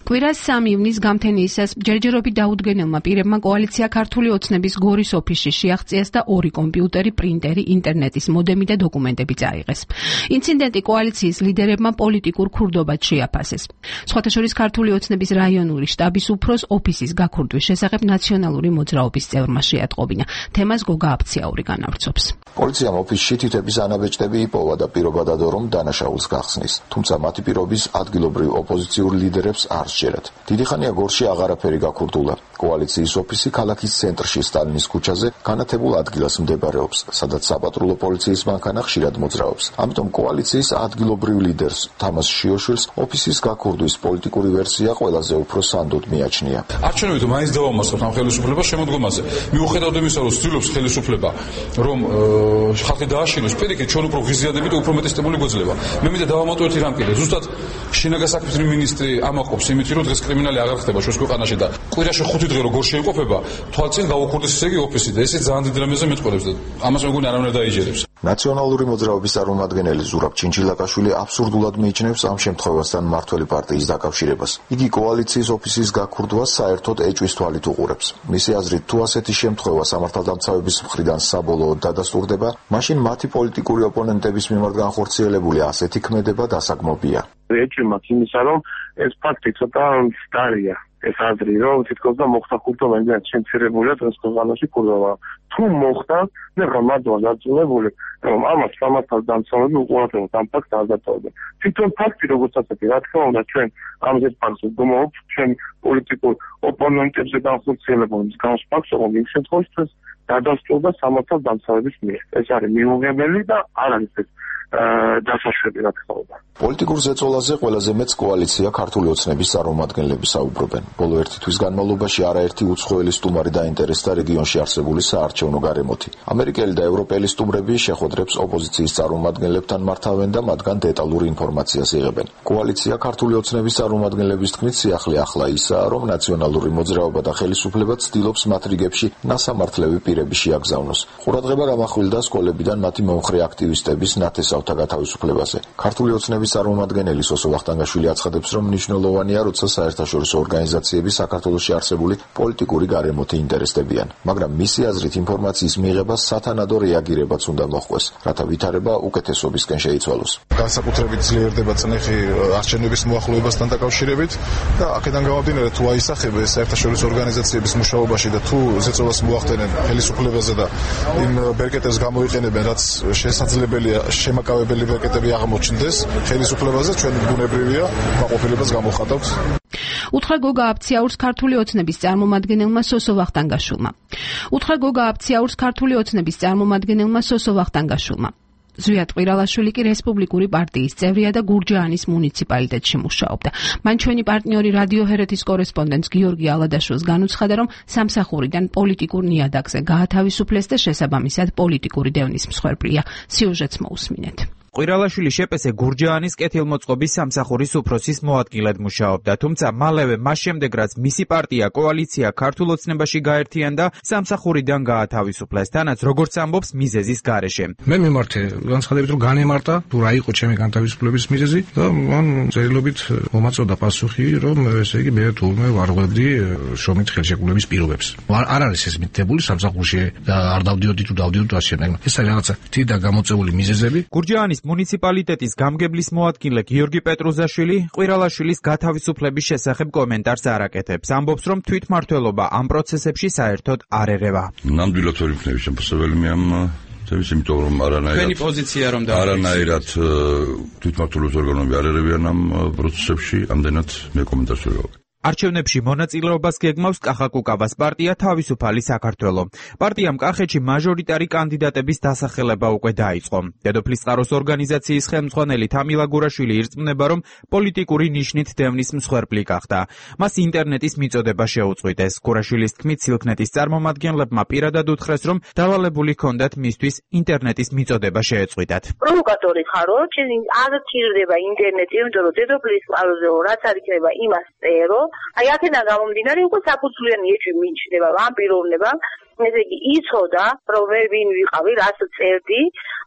კვირას 3 ივნისს გამთენიისას ჯერჯერობით დაუდგენელმა პირებმა კოალიცია ქართული ოცნების გორის ოფისში შეაღწიეს და 2 კომპიუტერი, პრინტერი, ინტერნეტის მოდემი და დოკუმენტები წაიღეს. ინციდენტი კოალიციის ლიდერებმა პოლიტიკურ ქურდობად შეაფასეს. სხვათა შორის ქართული ოცნების რაიონული შტაბის უფროს ოფისის გაქურდვის შესახებ ნაციონალური მოძრაობის წევრმა შეატყობინა. თემას გოგა აფციაური განავრცობს. პოლიციამ ოფისში თითების ანაბეჭდები იპოვა და პირობა დადო, რომ დანაშაულს გახსნის. თუმცა მათი პირობის ადგილობრივ ოპოზიციურ ლიდერებს არ სჯერათ. დიდი ხანია გორში აღარაფერი გაქურდულა. კოალიციის ოფისი ქალაქის ცენტრში სტალინის ქუჩაზე განათებულ ადგილას მდებარეობს, სადაც საპატრულო პოლიციის მანქანა ხშირად მოძრაობს. ამიტომ კოალიციის ადგილობრივ ლიდერს თამაზ შიოშვილს ოფისის გაქურდვის პოლიტიკური ვერსია ყველაზე უფრო სანდოდ მიაჩნია. არჩევნებით მაინც დავამარცხებთ ამ ხელისუფლებას შემოდგომაზე. მიუხედავად იმისა, რომ ცდილობს ხელისუფლება, რომ ხალხი დააშინოს, პირიქით ჩვენ უფრო ღიზიადებით უფრო მეტესტებული გვეძლება. მე მინდა დავამატოთ რამ კიდე. ზუსტად შინაგან საქმეთა მინისტრი ამაყობს იმით, რომ დღეს კრიმინალი აღარ ხდება ჩვენს ქვეყანაში და კვირაში 5 დღე როგორ შეიყოფება, თვალწინ გავუქურდეს ისე იგი ოფისი და ესე ძალიან დიდ რამეზე მეტყოლებს და ამას მეგონი არავინ დაიჯერებს. ნაციონალური მოძრაობის წარმომადგენელი ზურაბ ჩინჩილაკაშვილი აბსურდულად მიიჩნევს ამ შემთხვევასთან მმართველი პარტიის დაკავშირებას. იგი კოალიციის ოფისის გაქურდვას საერთოდ ეჭვის თვალით უყურებს. მისი აზრით, თუ ასეთი შემთხვევა სამართალდამცავების მხრიდან საბოლოოდ დადასტურდება, მაშინ მათი პოლიტიკური ოპონენტების მიმართ განხორციელებული ასეთი ქმედება დასაგმობია. ეჭვი მაქვს იმისა, რომ ეს ფაქტი ცოტა მცდარია. ეს აზრი, რომ თითქოს და მოხდა ქურდობა, იმდენად შემცირებულია დღეს ქვეყანაში ქურდობა. თუ მოხდა, და რამადვარ დაწუნებული, რომ ამას სამართალდამცავები უყურებთ ამ ფაქტს არ დაწოვებენ. თვითონ ფაქტი როგორც ასეთი, რა თქმა უნდა, ჩვენ ამაზე ფაქტს ვგმობთ, ჩვენ პოლიტიკურ ოპონენტებზე განხორციელებულ მსგავს ფაქტს, რომ იმ შემთხვევაში დადასტურდა სამართალდამცავების მიერ. ეს არის მიუღებელი და არ არის ეს დასაშვები, რა თქმა უნდა. პოლიტიკურ ზეწოლაზე ყველაზე მეც კოალიცია ქართული ოცნების წარმომადგენლები საუბრობენ. ბოლო 1 თვის განმავლობაში არაერთი უცხოელი სტუმარი დაინტერესდა რეგიონში არსებული საარჩევნო გარემოთი. ამერიკელი და ევროპელი სტუმრები შეხვედრებს ოპოზიციის წარმომადგენლებთან მართავენ და მათგან დეტალურ ინფორმაციას იღებენ. კოალიცია ქართული ოცნების წარმომადგენლების თქმით, სიახლე ახლა ისაა, რომ ნაციონალური მოძრაობა და ხელისუფლება ცდილობს მათ რიგებში ნასამართლები პირები შეაგზავნოს. ყურადღება გამახვილდა სკოლებიდან მათი მომხრე აქტივისტების ნათესავთა გათავისუფლებაზე. ქართული ოცნების ოცნების წარმომადგენელი სოსო ვახტანგაშვილი აცხადებს, რომ მნიშვნელოვანია, როცა საერთაშორისო ორგანიზაციები საქართველოში არსებული პოლიტიკური გარემოთი ინტერესდებიან, მაგრამ მისი აზრით ინფორმაციის მიღება სათანადო რეაგირებაც უნდა მოხდეს, რათა ვითარება უკეთესობისკენ შეიცვალოს. განსაკუთრებით ძლიერდება წნეხი არჩევნების მოახლოებასთან დაკავშირებით და აქედან გამომდინარე თუ აისახება საერთაშორისო ორგანიზაციების მუშაობაში და თუ ზეწოლას მოახდენენ ხელისუფლებაზე და იმ ბერკეტებს გამოიყენებენ, რაც შესაძლებელია შემაკავებელი ბერკეტები აღმოჩნდეს ხელისუფლებაზე, ჩვენ ბუნებრივია მაყოფილებას გამოხატავთ. უთხრა გოგა აფციაურს ქართული ოცნების წარმომადგენელმა სოსო ვახტანგაშვილმა. ზვიად ყირალაშვილი კი რესპუბლიკური პარტიის წევრია და გურჯაანის მუნიციპალიტეტში მუშაობდა. მან ჩვენი პარტნიორი რადიო ჰერეთის კორესპონდენტს გიორგი ალადაშვილს განუცხადა, რომ სამსახურიდან პოლიტიკურ ნიადაგზე გაათავისუფლეს და შესაბამისად პოლიტიკური დევნის მსხვერპლია. სიუჟეტს მოусმინეთ. ყირალაშვილი შეპესე გურჯაანის კეთილმოწყობის სამსახურის უფროსის მოადგილედ მუშაობდა, თუმცა მალევე მას შემდეგ, რაც მისი პარტია კოალიცია ქართულ ოცნებაში გაერთიანდა, სამსახურიდან გაათავისუფლეს, თანაც როგორც ამბობს მიზეზის გარეშე. მე მიმართე განცხადებით, რომ განემართა თუ რა იყო ჩემი განთავისუფლების მიზეზი და მან წერილობით მომაწოდა პასუხი, რომ ესე იგი მე თურმე ვარღვევდი შრომით ხელშეკრულების პირობებს. არ არის ეს მითითებული სამსახურში და არ დავდიოდი თუ დავდიოდი და ასე. ეს არის რაღაცა თითქოს გამოწეული მიზეზები. გურჯაანის მუნიციპალიტეტის გამგებლის მოადგილე გიორგი პეტრუზაშვილი ყირალაშვილის გათავისუფლების შესახებ კომენტარს არ აკეთებს. ამბობს, რომ თვითმმართველობა ამ პროცესებში საერთოდ არ ერევა. ნამდვილად ვერ ვიქნები შემოსავალი მე ამ თემის, იმიტომ რომ არანაირად თვითმმართველობის ორგანოები არ ერევიან ამ პროცესებში, ამდენად მე კომენტარს ვერ ვაკეთებ. არჩევნებში მონაწილეობას გეგმავს კახაკუკავას პარტია თავისუფალი საქართველო. პარტიამ კახეთში მაჟორიტარი კანდიდატების დასახელება უკვე დაიწყო. დედოფლის წყაროს ორგანიზაციის ხელმძღვანელი თამილა გურაშვილი ირწმუნება, რომ პოლიტიკური ნიშნით დევნის მსხვერპლი გახდა. მას ინტერნეტის მიწოდება შეუწყვიტეს. გურაშვილის თქმით, სილქნეთის წარმომადგენლებმა პირადად უთხრეს, რომ დავალებული ჰქონდათ მისთვის ინტერნეტის მიწოდება შეეწყვიტათ. პროვოკატორი ხარო, ჩემი არ თირდება ინტერნეტი, იმიტომ რომ დედოფლის წყაროზე რაც არ იქნება იმას წერო. აი აქედან გამომდინარე უკვე საფუძვლიანი ეჭვი მიიჩნევა ამ პიროვნებამ, ესე იგი იცოდა, რომ მე ვინ ვიყავი, რაც წერდი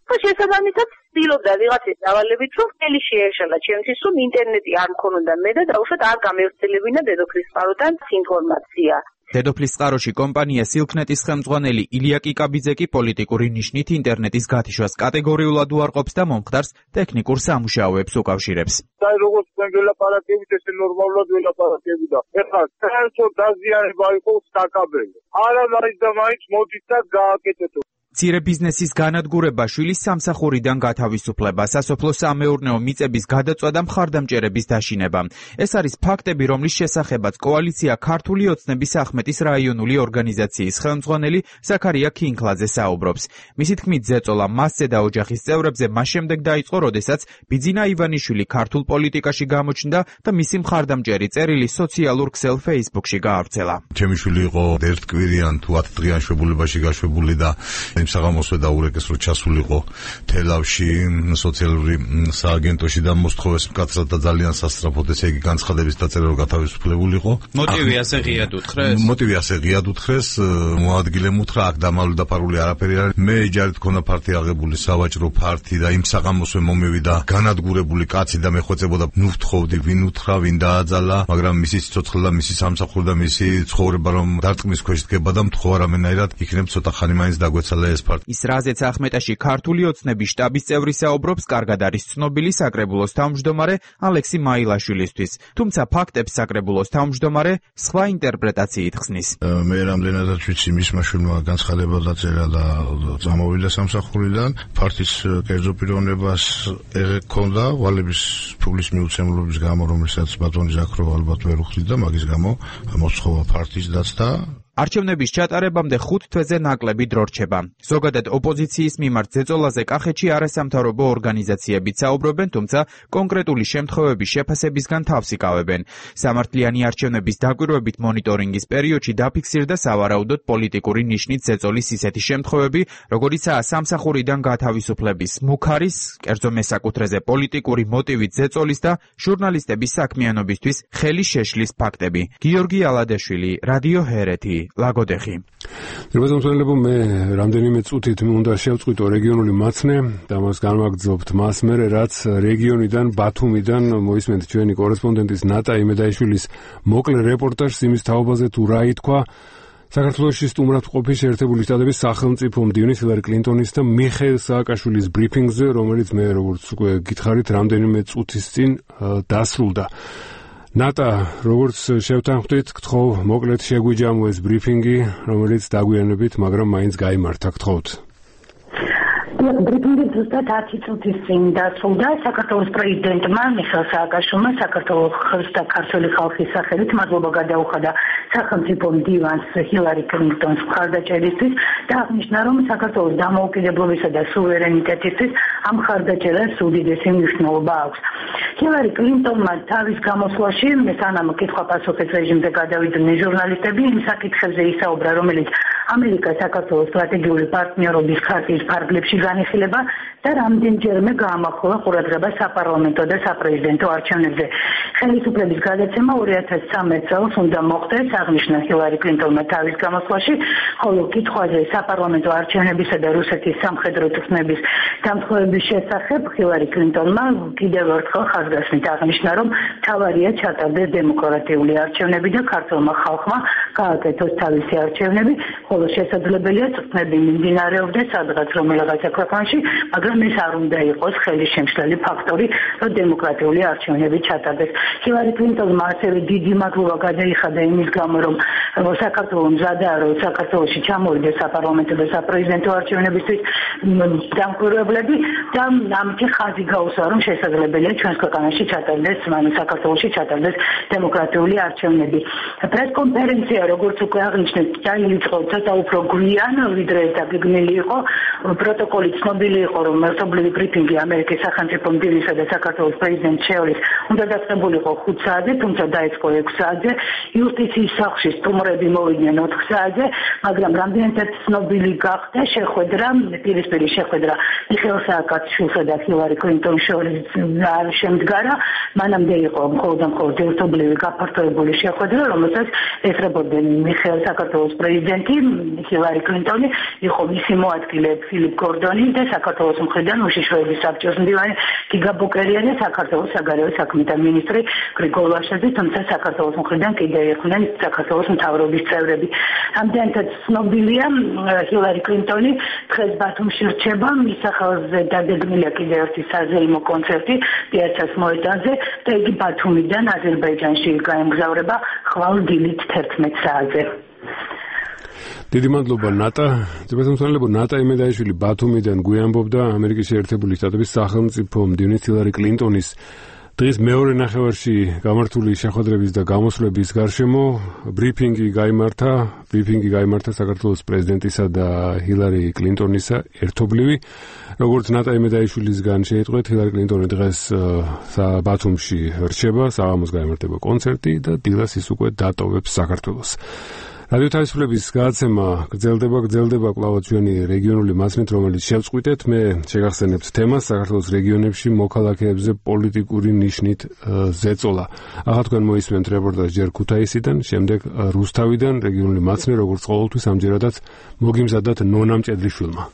და შესაბამისად ცდილობდა ვიღაცის დავალებით, რომ ხელი შეეშალა ჩემთვის, რომ ინტერნეტი არ მქონოდა მე და დაუშვათ არ გამევრცელებინა დედოფლის წყაროდან ინფორმაცია. დედოფლის წყაროში კომპანია სილქნეთის ხელმძღვანელი ილია კიკაბიძე კი პოლიტიკური ნიშნით ინტერნეტის გათიშვას კატეგორიულად უარყოფს და მომხდარს ტექნიკურ სამუშაოებს უკავშირებს. აი როგორც თქვენ გელაპარაკებით, ესე ნორმალურად ველაპარაკები და ეხლა საერთოდ დაზიანება იყოს საკაბელო. არა მაინც და მაინც მოდით და გააკეთეთ. მცირე ბიზნესის განადგურება, შვილის სამსახურიდან გათავისუფლება, სასოფლო-სამეურნეო მიწების გადაწვა და მხარდამჭერების დაშინება. ეს არის ფაქტები, რომლის შესახებაც კოალიცია ქართული ოცნების ახმეტის რაიონული ორგანიზაციის ხელმძღვანელი ზაქარია ქინქლაძე საუბრობს. მისი თქმით, ზეწოლა მასზე და ოჯახის წევრებზე მას შემდეგ დაიწყო, როდესაც ბიძინა ივანიშვილი ქართულ პოლიტიკაში გამოჩნდა და მისი მხარდამჭერი წერილი სოციალურ ქსელ Facebook-ში გაავრცელა. ჩემი შვილი იყო ერთკვირიან თუ 10 დღიან შვებულებაში გაშვებული და საღამოსვე დაურეკეს, რომ ჩასულიყო თელავში სოციალური სააგენტოში და მოსთხოვეს მკაცრად და ძალიან სასწრაფოდ, ესე იგი განცხადების დაწერა, რომ გათავისუფლებულიყო. მოტივი ასე ღიად უთხრეს? მოტივი ასე ღიად უთხრეს, მოადგილემ უთხრა, აქ დამალული დაფარული არაფერი არ არის. მე ჯარით ქონა ფარტი აღებული, სავაჭრო ფარტი და იმ საღამოსვე მომევიდა განადგურებული კაცი და მეხვეწებოდა, ნუ ვთხოვდი, ვინ უთხრა, ვინ დააძალა, მაგრამ მისი სიცოცხლე და მისი სამსახური და მისი ცხოვრება რომ დარწმის ქვეშ დგება და მთხოვარ ამენაირად იქნებ ცოტა ხანი მაინც დაგვეცალა ეს ფარტი. ის რაზეც ახმეტაში ქართული ოცნების შტაბის წევრი საუბრობს, კარგად არის ცნობილი საკრებულოს თავმჯდომარე ალექსი მაილაშვილისთვის. თუმცა ფაქტებს საკრებულოს თავმჯდომარე სხვა ინტერპრეტაციით ხსნის. მე რამდენადაც ვიცი, მისმა შვილმა განცხადება დაწერა და წამოვიდა სამსახურიდან. ფარტის კერძო პიროვნებას ეკონდა ვალების ფულის მიუცემლობის გამო, რომელსაც ბატონი ზაქროვა ალბათ ვერ უხდიდა, მაგის გამო მოსთხოვა ფარტის დაცდა. არჩევნების ჩატარებამდე 5 თვეზე ნაკლები დრო რჩება. ზოგადად ოპოზიციის მიმართ ზეწოლაზე კახეთში არასამთავრობო ორგანიზაციებიც საუბრობენ, თუმცა კონკრეტული შემთხვევების შეფასებისგან თავს იკავებენ. სამართლიანი არჩევნების დაკვირვებით მონიტორინგის პერიოდში დაფიქსირდა სავარაუდოდ პოლიტიკური ნიშნით ზეწოლის ისეთი შემთხვევები, როგორიცაა სამსახურიდან გათავისუფლების, მუქარის, კერძო მესაკუთრეზე პოლიტიკური მოტივით ზეწოლის და ჟურნალისტების საქმიანობისთვის ხელის შეშლის ფაქტები. გიორგი ალადაშვილი, რადიო ჰერეთი. ლაგოდეხი. რებაზომსვენელებო, მე რამდენიმე წუთით უნდა შევწყვიტო რეგიონული მაცნე და მას განვაგრძობთ მას მერე, რაც რეგიონიდან ბათუმიდან მოისმენთ ჩვენი კორესპონდენტის ნატა იმედაიშვილის მოკლე რეპორტაჟს იმის თაობაზე თუ რა ითქვა საქართველოში სტუმრად ყოფი შეერთებული შტატების სახელმწიფო მდივნის ჰილარი კლინტონის და მიხეილ სააკაშვილის ბრიფინგზე, რომელიც მე როგორც უკვე გითხარით რამდენიმე წუთის წინ დასრულდა. ნატა, როგორც შევთანხმდით, გთხოვ მოკლედ შეგვიჯამო ეს ბრიფინგი, რომელიც დაგვიანებით, მაგრამ მაინც გაიმართა, გთხოვთ. ბრიფინგი ზუსტად 10 წუთის წინ დასრულდა. საქართველოს პრეზიდენტმა მიხეილ სააკაშვილმა საქართველოს და ქართული ხალხის სახელით მადლობა გადაუხადა სახელმწიფო მდივანს ჰილარი კლინტონს მხარდაჭერისთვის და აღნიშნა, რომ საქართველოს დამოუკიდებლობისა და სუვერენიტეტისთვის ამ მხარდაჭერას უდიდესი მნიშვნელობა აქვს. ჰილარი კლინტონმა თავის გამოსვლაში სანამ კითხვა-პასუხის რეჟიმზე გადავიდნენ ჟურნალისტები, იმ საკითხებზე ისაუბრა, რომელიც ამერიკა საქართველოს სტრატეგიული პარტნიორობის ქარტიის ფარგლებში განიხილება და რამდენჯერმე გაამახვილა ყურადღება საპარლამენტო და საპრეზიდენტო არჩევნებზე. ხელისუფლების გადაცემა 2013 წელს უნდა მოხდეს, აღნიშნა ჰილარი კლინტონმა თავის გამოსვლაში, ხოლო კითხვაზე საპარლამენტო არჩევნებისა და რუსეთის სამხედრო თქმების დამხმარების შესახებ ჰილარი კლინტონმა კიდევ ერთხელ ხაზგასმით აღნიშნა, რომ მთავარია ჩატარდეს დემოკრატიული არჩევნები და ქართულმა ხალხმა გააკეთოს თავისი არჩევნები, ხოლო შესაძლებელია წვნები მიმდინარეობდეს სადღაც რომელიღაცა ქვეყანაში, მაგრამ ეს არ უნდა იყოს ხელისშემშლელი ფაქტორი, რომ დემოკრატიული არჩევნები ჩატარდეს. ჰილარი კლინტონმა ასევე დიდი მადლობა გადაიხადა იმის გამო, რომ საქართველოს მზადაა, რომ საქართველოში ჩამოვიდეს საპარლამენტო და საპრეზიდენტო არჩევნებისთვის დამკვირვებლები და ამით ხაზი გაუსვა, რომ შესაძლებელია ჩვენს ქვეყანაში ჩატარდეს, საქართველოში ჩატარდეს დემოკრატიული არჩევნები. პრესკონფერენცია, როგორც უკვე აღნიშნეთ, დაიწყო ცოტა უფრო გვიან, ვიდრე დაგეგმილი იყო. პროტოკოლი ცნობილი იყო, რომ ერთობლივი ბრიფინგი ამერიკის სახელმწიფო მდივნისა და საქართველოს პრეზიდენტს შორის უნდა დაწყებულიყო 5 საათზე, თუმცა დაიწყო 6 საათზე. იუსტიციის სახლში სტუმრები მოვიდნენ 4 საათზე, მაგრამ რამდენადაც ცნობილი გახდა შეხვედრა, პირისპირი შეხვედრა მიხეილ სააკაშვილსა და ჰილარი კლინტონის შორის არ შემდგარა. მანამდე იყო მხოლოდ ერთობლივი გაფართოებული შეხვედრა, რომელსაც ესწრებოდნენ მიხეილ საქართველოს პრეზიდენტი ჰილარი კლინტონი, იყო მისი მოადგილე ფილიპ გორდონი და საქართველოს მხრიდან უშიშროების საბჭოს მდივანი გიგა ბუკერიანი, საქართველოს საგარეო საქმეთა მინისტრი გრიგოლ ვაშაძე, თუმცა საქართველოს მხრიდან კიდევ იყვნენ საქართველოს მთავრობის წევრები. ამდენად ცნობილია ჰილარი კლინტონი დღეს ბათუმში რჩება, მის სახელზე დაგეგმილია კიდევ ერთი საზეიმო კონცერტი პიაცას მოედანზე და იგი ბათუმიდან აზერბაიჯანში გაემგზავრება ხვალ დილით 11 საათზე. დიდი მადლობა ნატა. ძებასამსვენელებო, ნატა იმედაიშვილი ბათუმიდან გვიამბობდა ამერიკის შეერთებული შტატების სახელმწიფო მდივნის ჰილარი კლინტონის დღის მეორე ნახევარში გამართული შეხვედრების და გამოსვლების გარშემო ბრიფინგი გაიმართა საქართველოს პრეზიდენტისა და ჰილარი კლინტონისა ერთობლივი. როგორც ნატა იმედაიშვილისგან შეიტყვეთ, ჰილარი კლინტონი დღეს ბათუმში რჩება, საღამოს გაიმართება კონცერტი და დილას ის უკვე დატოვებს საქართველოს. რადიო თავისუფლების გადაცემა გრძელდება კვლავ ჩვენი რეგიონული მასმით, რომელიც შევწყვიტეთ. მე შეგახსენებთ თემას საქართველოს რეგიონებში მოქალაქეებზე პოლიტიკური ნიშნით ზეწოლა. ახლა თქვენ მოისმენთ რეპორტაჟი ჯერ ქუთაისიდან, შემდეგ რუსთავიდან. რეგიონული მასმი, როგორც ყოველთვის, ამჯერადაც მოგიმზადათ ნონა მჭედლიშვილმა.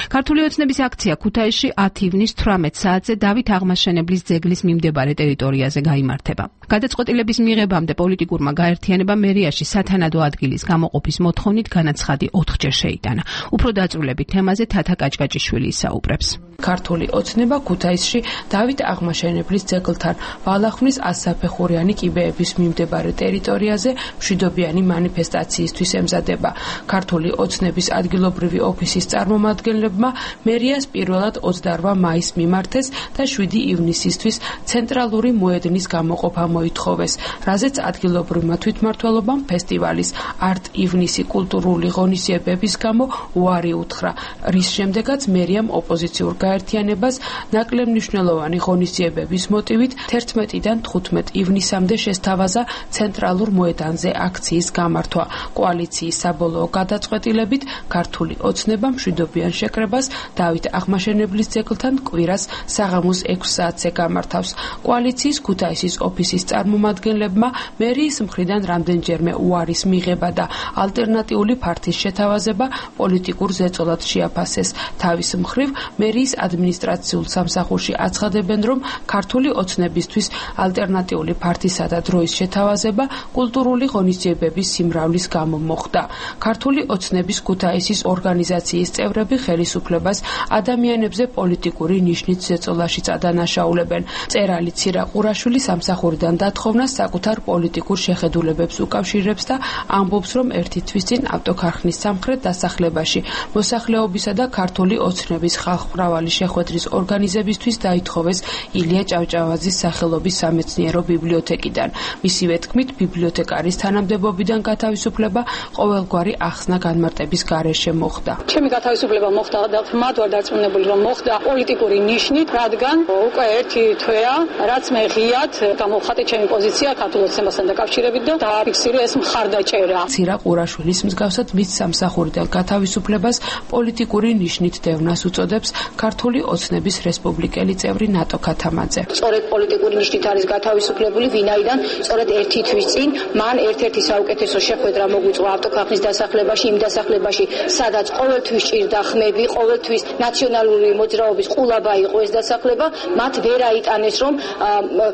ქართული ოცნების აქცია ქუთაისში 10 ივნის 18 საათზე დავით აღმაშენებლის ძეგლის მიმდებარე ტერიტორიაზე გაიმართება. გადაწყვეტილების მიღებამდე პოლიტიკურმა გაერთიანებამ მერიაში სათანადო ადგილის გამოყოფის მოთხოვნით განაცხადი 4-ჯერ შეიტანა. უფრო დაწვრილებით თემაზე თათა კაჭკაჭიშვილი ისაუბრებს. ქართული ოცნება ქუთაისში დავით აღმაშენებლის ძეგლთან ვალახმნის 100-საფეხურიანი კიბეების მიმდებარე ტერიტორიაზე მშვიდობიანი მანიფესტაციისთვის ემზადება. ქართული ოცნების ადგილობრივი ოფისის წარმომადგენლებმა მერიას პირველად 28 მაისს მიმართეს და 7 ივნისისთვის ცენტრალური მოედნის გამოყოფა გამოითხოვეს, რაზეც ადგილობრივმა თვითმმართველობამ ფესტივალის არტ ივნისი კულტურული ღონისძიებების გამო უარი უთხრა, რის შემდეგაც მერიამ ოპოზიციურ გაერთიანებას ნაკლებ მნიშვნელოვანი ღონისძიებების მოტივით 11-დან 15 ივნისამდე შესთავაზა ცენტრალურ მოედანზე აქციის გამართვა. კოალიციის საბოლოო გადაწყვეტილებით ქართული ოცნება მშვიდობიან შეკრებას დავით აღმაშენებლის ძეგლთან კვირას საღამოს 6 საათზე გამართავს. კოალიციის ქუთაისის ოფისის წარმომადგენლებმა მერიის მხრიდან რამდენჯერმე უარის მიღება და ალტერნატიული ფართის შეთავაზება პოლიტიკურ ზეწოლად შეაფასეს. თავის მხრივ მერიის ადმინისტრაციულ სამსახურში აცხადებენ, რომ ქართული ოცნებისთვის ალტერნატიული ფართისა და დროის შეთავაზება კულტურული ღონისძიებების სიმრავლის გამო მოხდა. ქართული ოცნების ქუთაისის ორგანიზაციის წევრები ხელისუფლებას ადამიანებზე პოლიტიკური ნიშნით ზეწოლაშიც ადანაშაულებენ. მწერალი ცირა ყურაშვილი სამსახურიდან დათხოვნას საკუთარ პოლიტიკურ შეხედულებებს უკავშირებს და ამბობს, რომ ერთი თვის წინ ავტოქარხნის სამხრეთ დასახლებაში მოსახლეობისა და ქართული ოცნების ხალხმრავალი შეხვედრის ორგანიზებისთვის დაითხოვეს ილია ჭავჭავაძის სახელობის სამეცნიერო ბიბლიოთეკიდან. მისივე თქმით, ბიბლიოთეკარის თანამდებობიდან გათავისუფლება ყოველგვარი ახსნა განმარტების გარეშე მოხდა. ჩემი გათავისუფლება მოხდა და ხმად ვარ დარწმუნებული, რომ მოხდა პოლიტიკური ნიშნით, რადგან უკვე ერთი თვეა, რაც მე ღიად გამოვხატე ჩემი პოზიცია ქართულ ოცნებასთან დაკავშირებით და დააფიქსირე ეს მხარდაჭერა. ცირა ყურაშვილის მსგავსად მის სამსახურიდან გათავისუფლებას პოლიტიკური ნიშნით დევნას უწოდებს ქართული ოცნების რესპუბლიკელი წევრი ნატო ქათამაძე. სწორედ პოლიტიკური ნიშნით არის გათავისუფლებული, ვინაიდან სწორედ ერთი თვის წინ მან ერთ-ერთი საუკეთესო შეხვედრა მოგვიწვა ავტოქარხნის დასახლებაში, იმ დასახლებაში, სადაც ყოველთვის ჭირდა ხმები, ყოველთვის ნაციონალური მოძრაობის ყულაბა იყო ეს დასახლება, მათ ვერ აიტანეს, რომ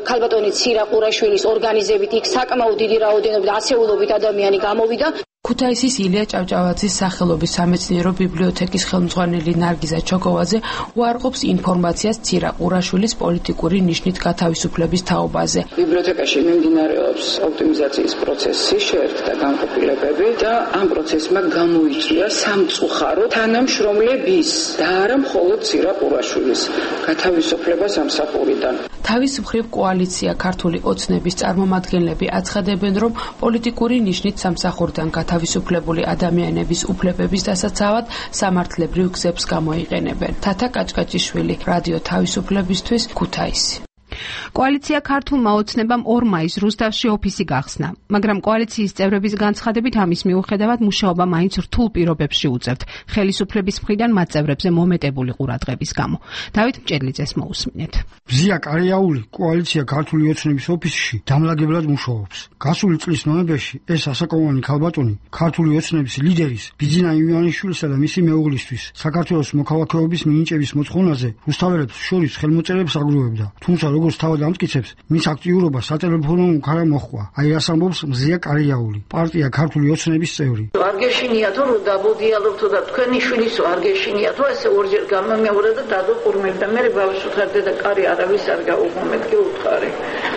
ქალბატონი ცირა ყურაშვილის ორგანიზებით იქ საკმაოდ დიდი რაოდენობით და ასეულობით ადამიანი გამოვიდა. ქუთაისის ილია ჭავჭავაძის სახელობის სამეცნიერო ბიბლიოთეკის ხელმძღვანელი ნარგიზა ჩოგოვაძე უარყოფს ინფორმაციას ცირა ყურაშვილის პოლიტიკური ნიშნით გათავისუფლების თაობაზე. ბიბლიოთეკაში მიმდინარეობს ოპტიმიზაციის პროცესი, შეერთდა განყოფილებები და ამ პროცესმა გამოიწვია სამწუხარო თანამშრომლების და არა მხოლოდ ცირა ყურაშვილის გათავისუფლება სამსახურიდან. თავის მხრივ კოალიცია ქართული ოცნების წარმომადგენლები აცხადებენ, რომ პოლიტიკური ნიშნით სამსახურიდან თავისუფლებული ადამიანების უფლებების დასაცავად სამართლებრივ გზებს გამოიყენებენ. თათა კაჭკაჭიშვილი, რადიო თავისუფლებისთვის, ქუთაისი. კოალიცია ქართულმა ოცნებამ 2 მაისს რუსთავში ოფისი გახსნა, მაგრამ კოალიციის წევრების განცხადებით ამის მიუხედავად მუშაობა მაინც რთულ პირობებში უწევთ ხელისუფლების მხრიდან მათ წევრებზე მომეტებული ყურადღების გამო. დავით მჭედლიძეს მოусმინეთ. ბზია კარიაული კოალიცია ქართული ოცნების ოფისში დამლაგებლად მუშაობს. გასული წლის ნოემბერში ეს ასაკოვანი ქალბატონი ქართული ოცნების ლიდერის ბიძინა ივანიშვილისა და მისი მეუღლისთვის საქართველოს მოქალაქეობის მინიჭების მოთხოვნაზე რუსთაველებს შორის ხელმოწერებს აგროვებდა. თუმცა როგორც თავად ამტკიცებს, მის აქტიურობა სატელეფონო უკარა მოჰყვა. აი რას ამბობს მზია კარიაული, პარტია ქართული ოცნების წევრი. არ გეშინიათო რომ დაბოდიალობთო და თქვენი შვილისო არ გეშინიათო ესე ორჯერ გამომეორე და დადოყურმებ და მე ბავშვთან და კარი არავის არ გაუღმეთ გეუთხარი.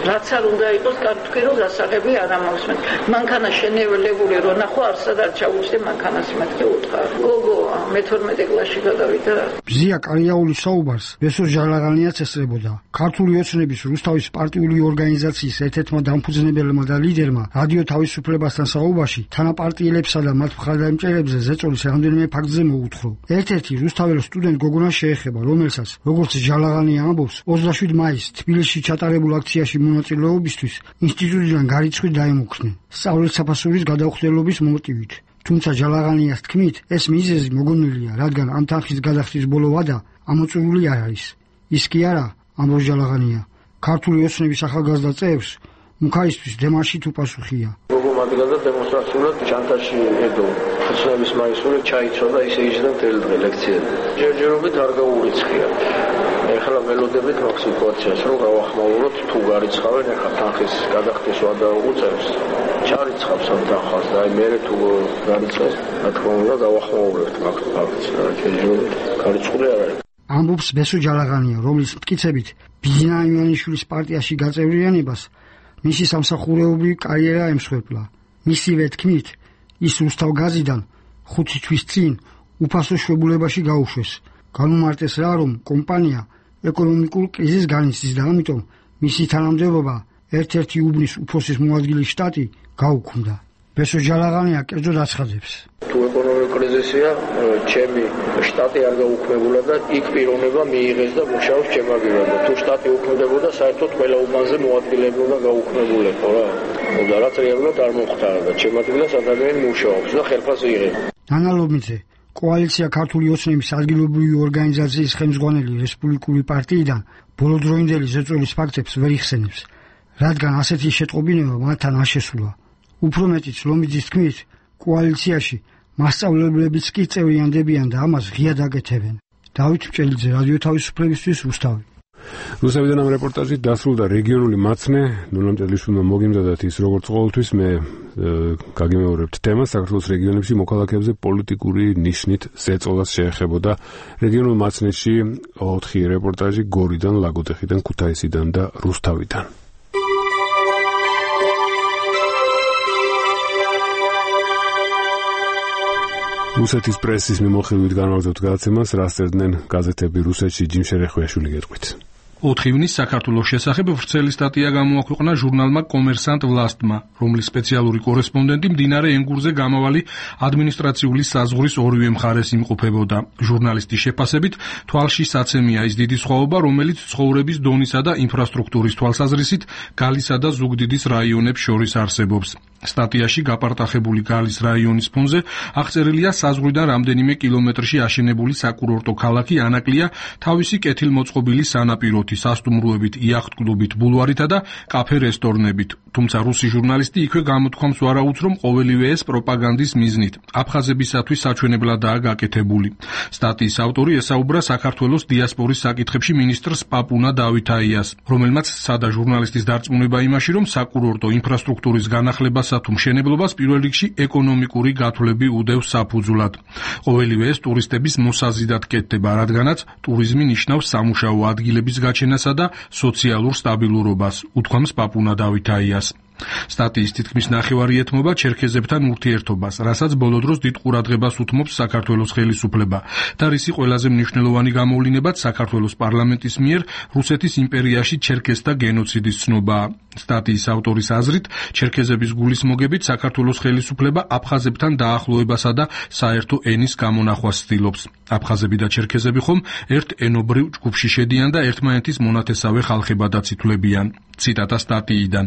რაც არ უნდა იყოს თქვენ რომ დასაღები არ ამოსმენთ. მანქანა შენევლებული რო ნახო არსად არ ჩაუჩდე მანქანას მეთქე უთხარი. გოგო მე-12 კლასში გადავიდა. ბზია კარიაულის საუბარს ბესო ჟალაღანიაც ესწრებოდა. ქართული ოცნების რუსთავის პარტიული ორგანიზაციის ერთ-ერთმა დამფუძნებელმა და ლიდერმა რადიო თავისუფლებასთან საუბარში თანაპარტიელებსა და მათ მხარდამჭერებზე ზეწოლის რამდენიმე ფაქტზე მოუთხრო. ერთ-ერთი რუსთაველ სტუდენტ გოგონას შეეხება, რომელსაც, როგორც ჟალაღანია ამბობს, 27 მაისს თბილისში ჩატარებულ აქციაში მონაწილეობისთვის ინსტიტუტიდან გარიცხვით დაემუქრნენ, სწავლით საფასურის გადაუხდელობის მოტივით. თუმცა ჟალაღანიას თქმით, ეს მიზეზი მოგონილია, რადგან ამ თანხის გადახდის ბოლო ვადა ამოწურული არ არის. ის კი არა, ამბობს ჟალაღანია, ქართული ოცნების ახალგაზრდა წევრს მუქაისთვის დემარშით უპასუხია. როგორ მადგან და დემონსტრაციულად ჩანთაში ედო ოცნების მაისური ჩაიცვა და ისე იჯდა მთელი დღე ლექციები. ჯერჯერობით არ გაურიცხია. ეხლა ველოდებით მაგ სიტუაციას რომ გავახმაუროთ, თუ გარიცხავენ ეხლა თანხის გადახდის ვადა უწევს. ჩარიცხავს ამ თანხას და აი მე თუ გარიცხეს, რა თქმა უნდა გავახმაურებთ მაგ ფაქტს. ჯერჯერობით გარიცხული არ არის. ამბობს ბესო ჟალაღანია, რომლის მტკიცებით ბიძინა ივანიშვილის პარტიაში გაწევრიანებას მისი სამსახურეობრივი კარიერა ემსხვერპლა. მისივე თქმით, ის რუსთავგაზიდან 5 თვის წინ უფასო შვებულებაში გაუშვეს. განუმარტეს რა, რომ კომპანია ეკონომიკურ კრიზისს განიცდის და ამიტომ მისი თანამდებობა ერთ-ერთი უბნის უფროსის მოადგილე შტატი გაუქმდა. ბესო ჯალაღანია კერძოდ აცხადებს. თუ ეკონომიკური კრიზისია, ჩემი შტატი არ გაუქმებულა და იქ პიროვნება მიიღეს და მუშაობს ჩემაგირად. თუ შტატი უქმდებოდა, საერთოდ ყველა უბანზე მოადგილეები უნდა გაუქმებულიყო რა. და რაც რეალურად არ მოხდა და ჩემ ადგილას ადამიანი მუშაობს და ხელფასი იღებს. ნანა ლობიძე, კოალიცია ქართული ოცნების ადგილობრივი ორგანიზაციის ხელმძღვანელი რესპუბლიკური პარტიიდან ბოლო დროინდელი ზეწოლის ფაქტებს ვერ იხსენებს, რადგან ასეთი შეტყობინება მათთან არ შესულა. უფრო მეტიც ლომიძის თქმით, კოალიციაში მასწავლებლებიც კი წევრიანდებიან და ამას ღიად აკეთებენ. დავით მჭელიძე, რადიო თავისუფლებისთვის, რუსთავი. რუსთავიდან ამ რეპორტაჟით დასრულდა რეგიონული მაცნე. ნულა მჭედლიშვილმა მოგიმზადათ ის, როგორც ყოველთვის მე გაგიმეორებთ თემას საქართველოს რეგიონებში მოქალაქეებზე პოლიტიკური ნიშნით ზეწოლას შეეხებოდა. რეგიონულ მაცნეში 4 რეპორტაჟი გორიდან, ლაგოდეხიდან, ქუთაისიდან და რუსთავიდან. რუსეთის პრესის მიმოხილვით განვაგრძობთ გადაცემას, რას წერდნენ გაზეთები რუსეთში. ჯიმ შერეხვიაშვილი გეტყვით. 4 ივნისს საქართველოს შესახებ ვრცელი სტატია გამოაქვეყნა ჟურნალმა კომერსანტ ვლასტმა, რომლის სპეციალური კორესპონდენტი მდინარე ენგურზე გამავალი ადმინისტრაციული საზღვრის ორივე მხარეს იმყოფებოდა. ჟურნალისტის შეფასებით, თვალში საცემია ის დიდი სხვაობა, რომელიც ცხოვრების დონისა და ინფრასტრუქტურის თვალსაზრისით გალისა და ზუგდიდის რაიონებს შორის არსებობს. სტატიაში გაპარტახებული გალის რაიონის ფონზე აღწერილია საზღვრიდან რამდენიმე კილომეტრში აშენებული საკურორტო ქალაქი ანაკლია თავისი კეთილმოწყობილი სანაპიროთი, სასტუმროებით, იახტ-კლუბით, ბულვარითა და კაფე-რესტორნებით. თუმცა რუსი ჟურნალისტი იქვე გამოთქვამს ვარაუდს, რომ ყოველივე ეს პროპაგანდის მიზნით აფხაზებისათვის საჩვენებლადაა გაკეთებული. სტატიის ავტორი ესაუბრა საქართველოს დიასპორის საკითხებში მინისტრს პაპუნა დავითაიას, რომელმაც სცადა ჟურნალისტის დარწმუნება იმაში, რომ საკურორტო ინფრასტრუქტურის განახლებას თუ მშენებლობას პირველ რიგში ეკონომიკური გათვლები უდევს საფუძვლად. ყოველივე ეს ტურისტების მოსაზიდად კეთდება, რადგანაც ტურიზმი ნიშნავს სამუშაო ადგილების გაჩენასა და სოციალურ სტაბილურობას, უთქვამს პაპუნა დავითაიას. სტატიის თითქმის ნახევარი ეთმობა ჩერქეზებთან ურთიერთობას, რასაც ბოლო დროს დიდ ყურადღებას უთმობს საქართველოს ხელისუფლება და რისი ყველაზე მნიშვნელოვანი გამოვლინებაც საქართველოს პარლამენტის მიერ რუსეთის იმპერიაში ჩერქეზთა გენოციდის ცნობაა. სტატიის ავტორის აზრით, ჩერქეზების გულისმოგებით საქართველოს ხელისუფლება აფხაზებთან დაახლოებასა და საერთო ენის გამონახვას ცდილობს. აფხაზები და ჩერქეზები ხომ ერთ ენობრივ ჯგუფში შედიან და ერთმანეთის მონათესავე ხალხებადაც ითვლებიან. ციტატა სტატიიდან.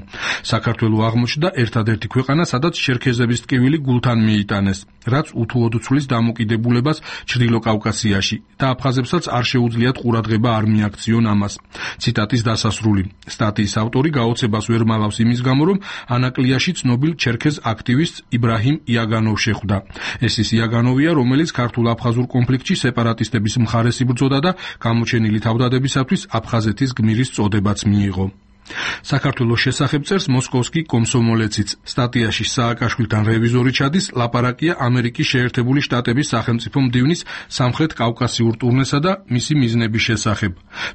საქართველო აღმოჩნდა ერთადერთი ქვეყანა, სადაც ჩერქეზების ტკივილი გულთან მიიტანეს, რაც უთუოდ ცვლის დამოკიდებულებას ჩრდილო კავკასიაში და აფხაზებსაც არ შეუძლიათ ყურადღება არ მიაქციონ ამას. ციტატის დასასრული. სტატიის ავტორი გაოცებას ვერ მალავს იმის გამო, რომ ანაკლიაში ცნობილ ჩერქეზ აქტივისტს იბრაჰიმ იაგანოვ შეხვდა. ეს ის იაგანოვია, რომელიც ქართულ-აფხაზურ კონფლიქტში სეპარატისტების მხარეს იბრძოდა და გამოჩენილი თავდადებისათვის აფხაზეთის გმირის წოდებაც მიიღო. საქართველოს შესახებ წერს მოსკოვსკი კომსომოლეციც. სტატიაში სააკაშვილთან რევიზორი ჩადის, ლაპარაკია ამერიკის შეერთებული შტატების სახელმწიფო მდივნის სამხრეთ კავკასიურ ტურნესა და მისი მიზნების შესახებ.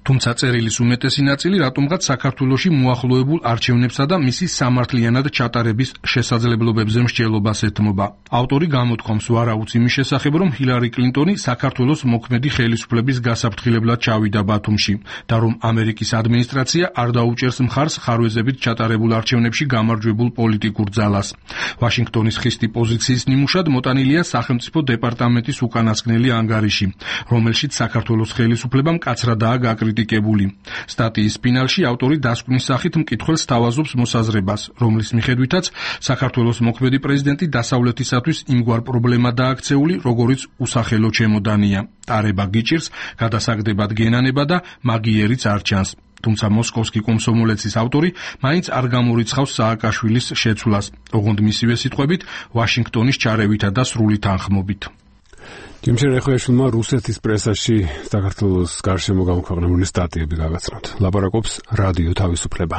თუმცა წერილის უმეტესი ნაწილი რატომღაც საქართველოში მოახლოებულ არჩევნებსა და მისი სამართლიანად ჩატარების შესაძლებლობებზე მსჯელობას ეთმობა. ავტორი გამოთქვამს ვარაუდს იმის შესახებ, რომ ჰილარი კლინტონი საქართველოს მოქმედი ხელისუფლების გასაფრთხილებლად ჩავიდა ბათუმში და რომ ამერიკის ადმინისტრაცია არ დაუჭერს მხარს ხარვეზებით ჩატარებულ არჩევნებში გამარჯვებულ პოლიტიკურ ძალას. ვაშინგტონის ხისტი პოზიციის ნიმუშად მოტანილია სახელმწიფო დეპარტამენტის უკანასკნელი ანგარიში, რომელშიც საქართველოს ხელისუფლება მკაცრადაა გაკრიტიკებული. სტატიის ფინალში ავტორი დასკვნის სახით მკითხველს თავაზობს მოსაზრებას, რომლის მიხედვითაც საქართველოს მოქმედი პრეზიდენტი დასავლეთისათვის იმგვარ პრობლემადაა აქცეული, როგორიც უსახელო ჩემოდანია. ტარება გიჭირს, გადასაგდებად გენანება და მაგიერიც არ ჩანს. თუმცა მოსკოვსკი კომსომოლეცის ავტორი მაინც არ გამორიცხავს სააკაშვილის შეცვლას, ოღონდ მისივე სიტყვებით ვაშინგტონის ჩარევითა და სრული თანხმობით. ჯიმ შერეხვიაშვილმა რუსეთის პრესაში საქართველოს გარშემო გამოქვეყნებული სტატიები გაგაცნოთ. ლაპარაკობს რადიო თავისუფლება.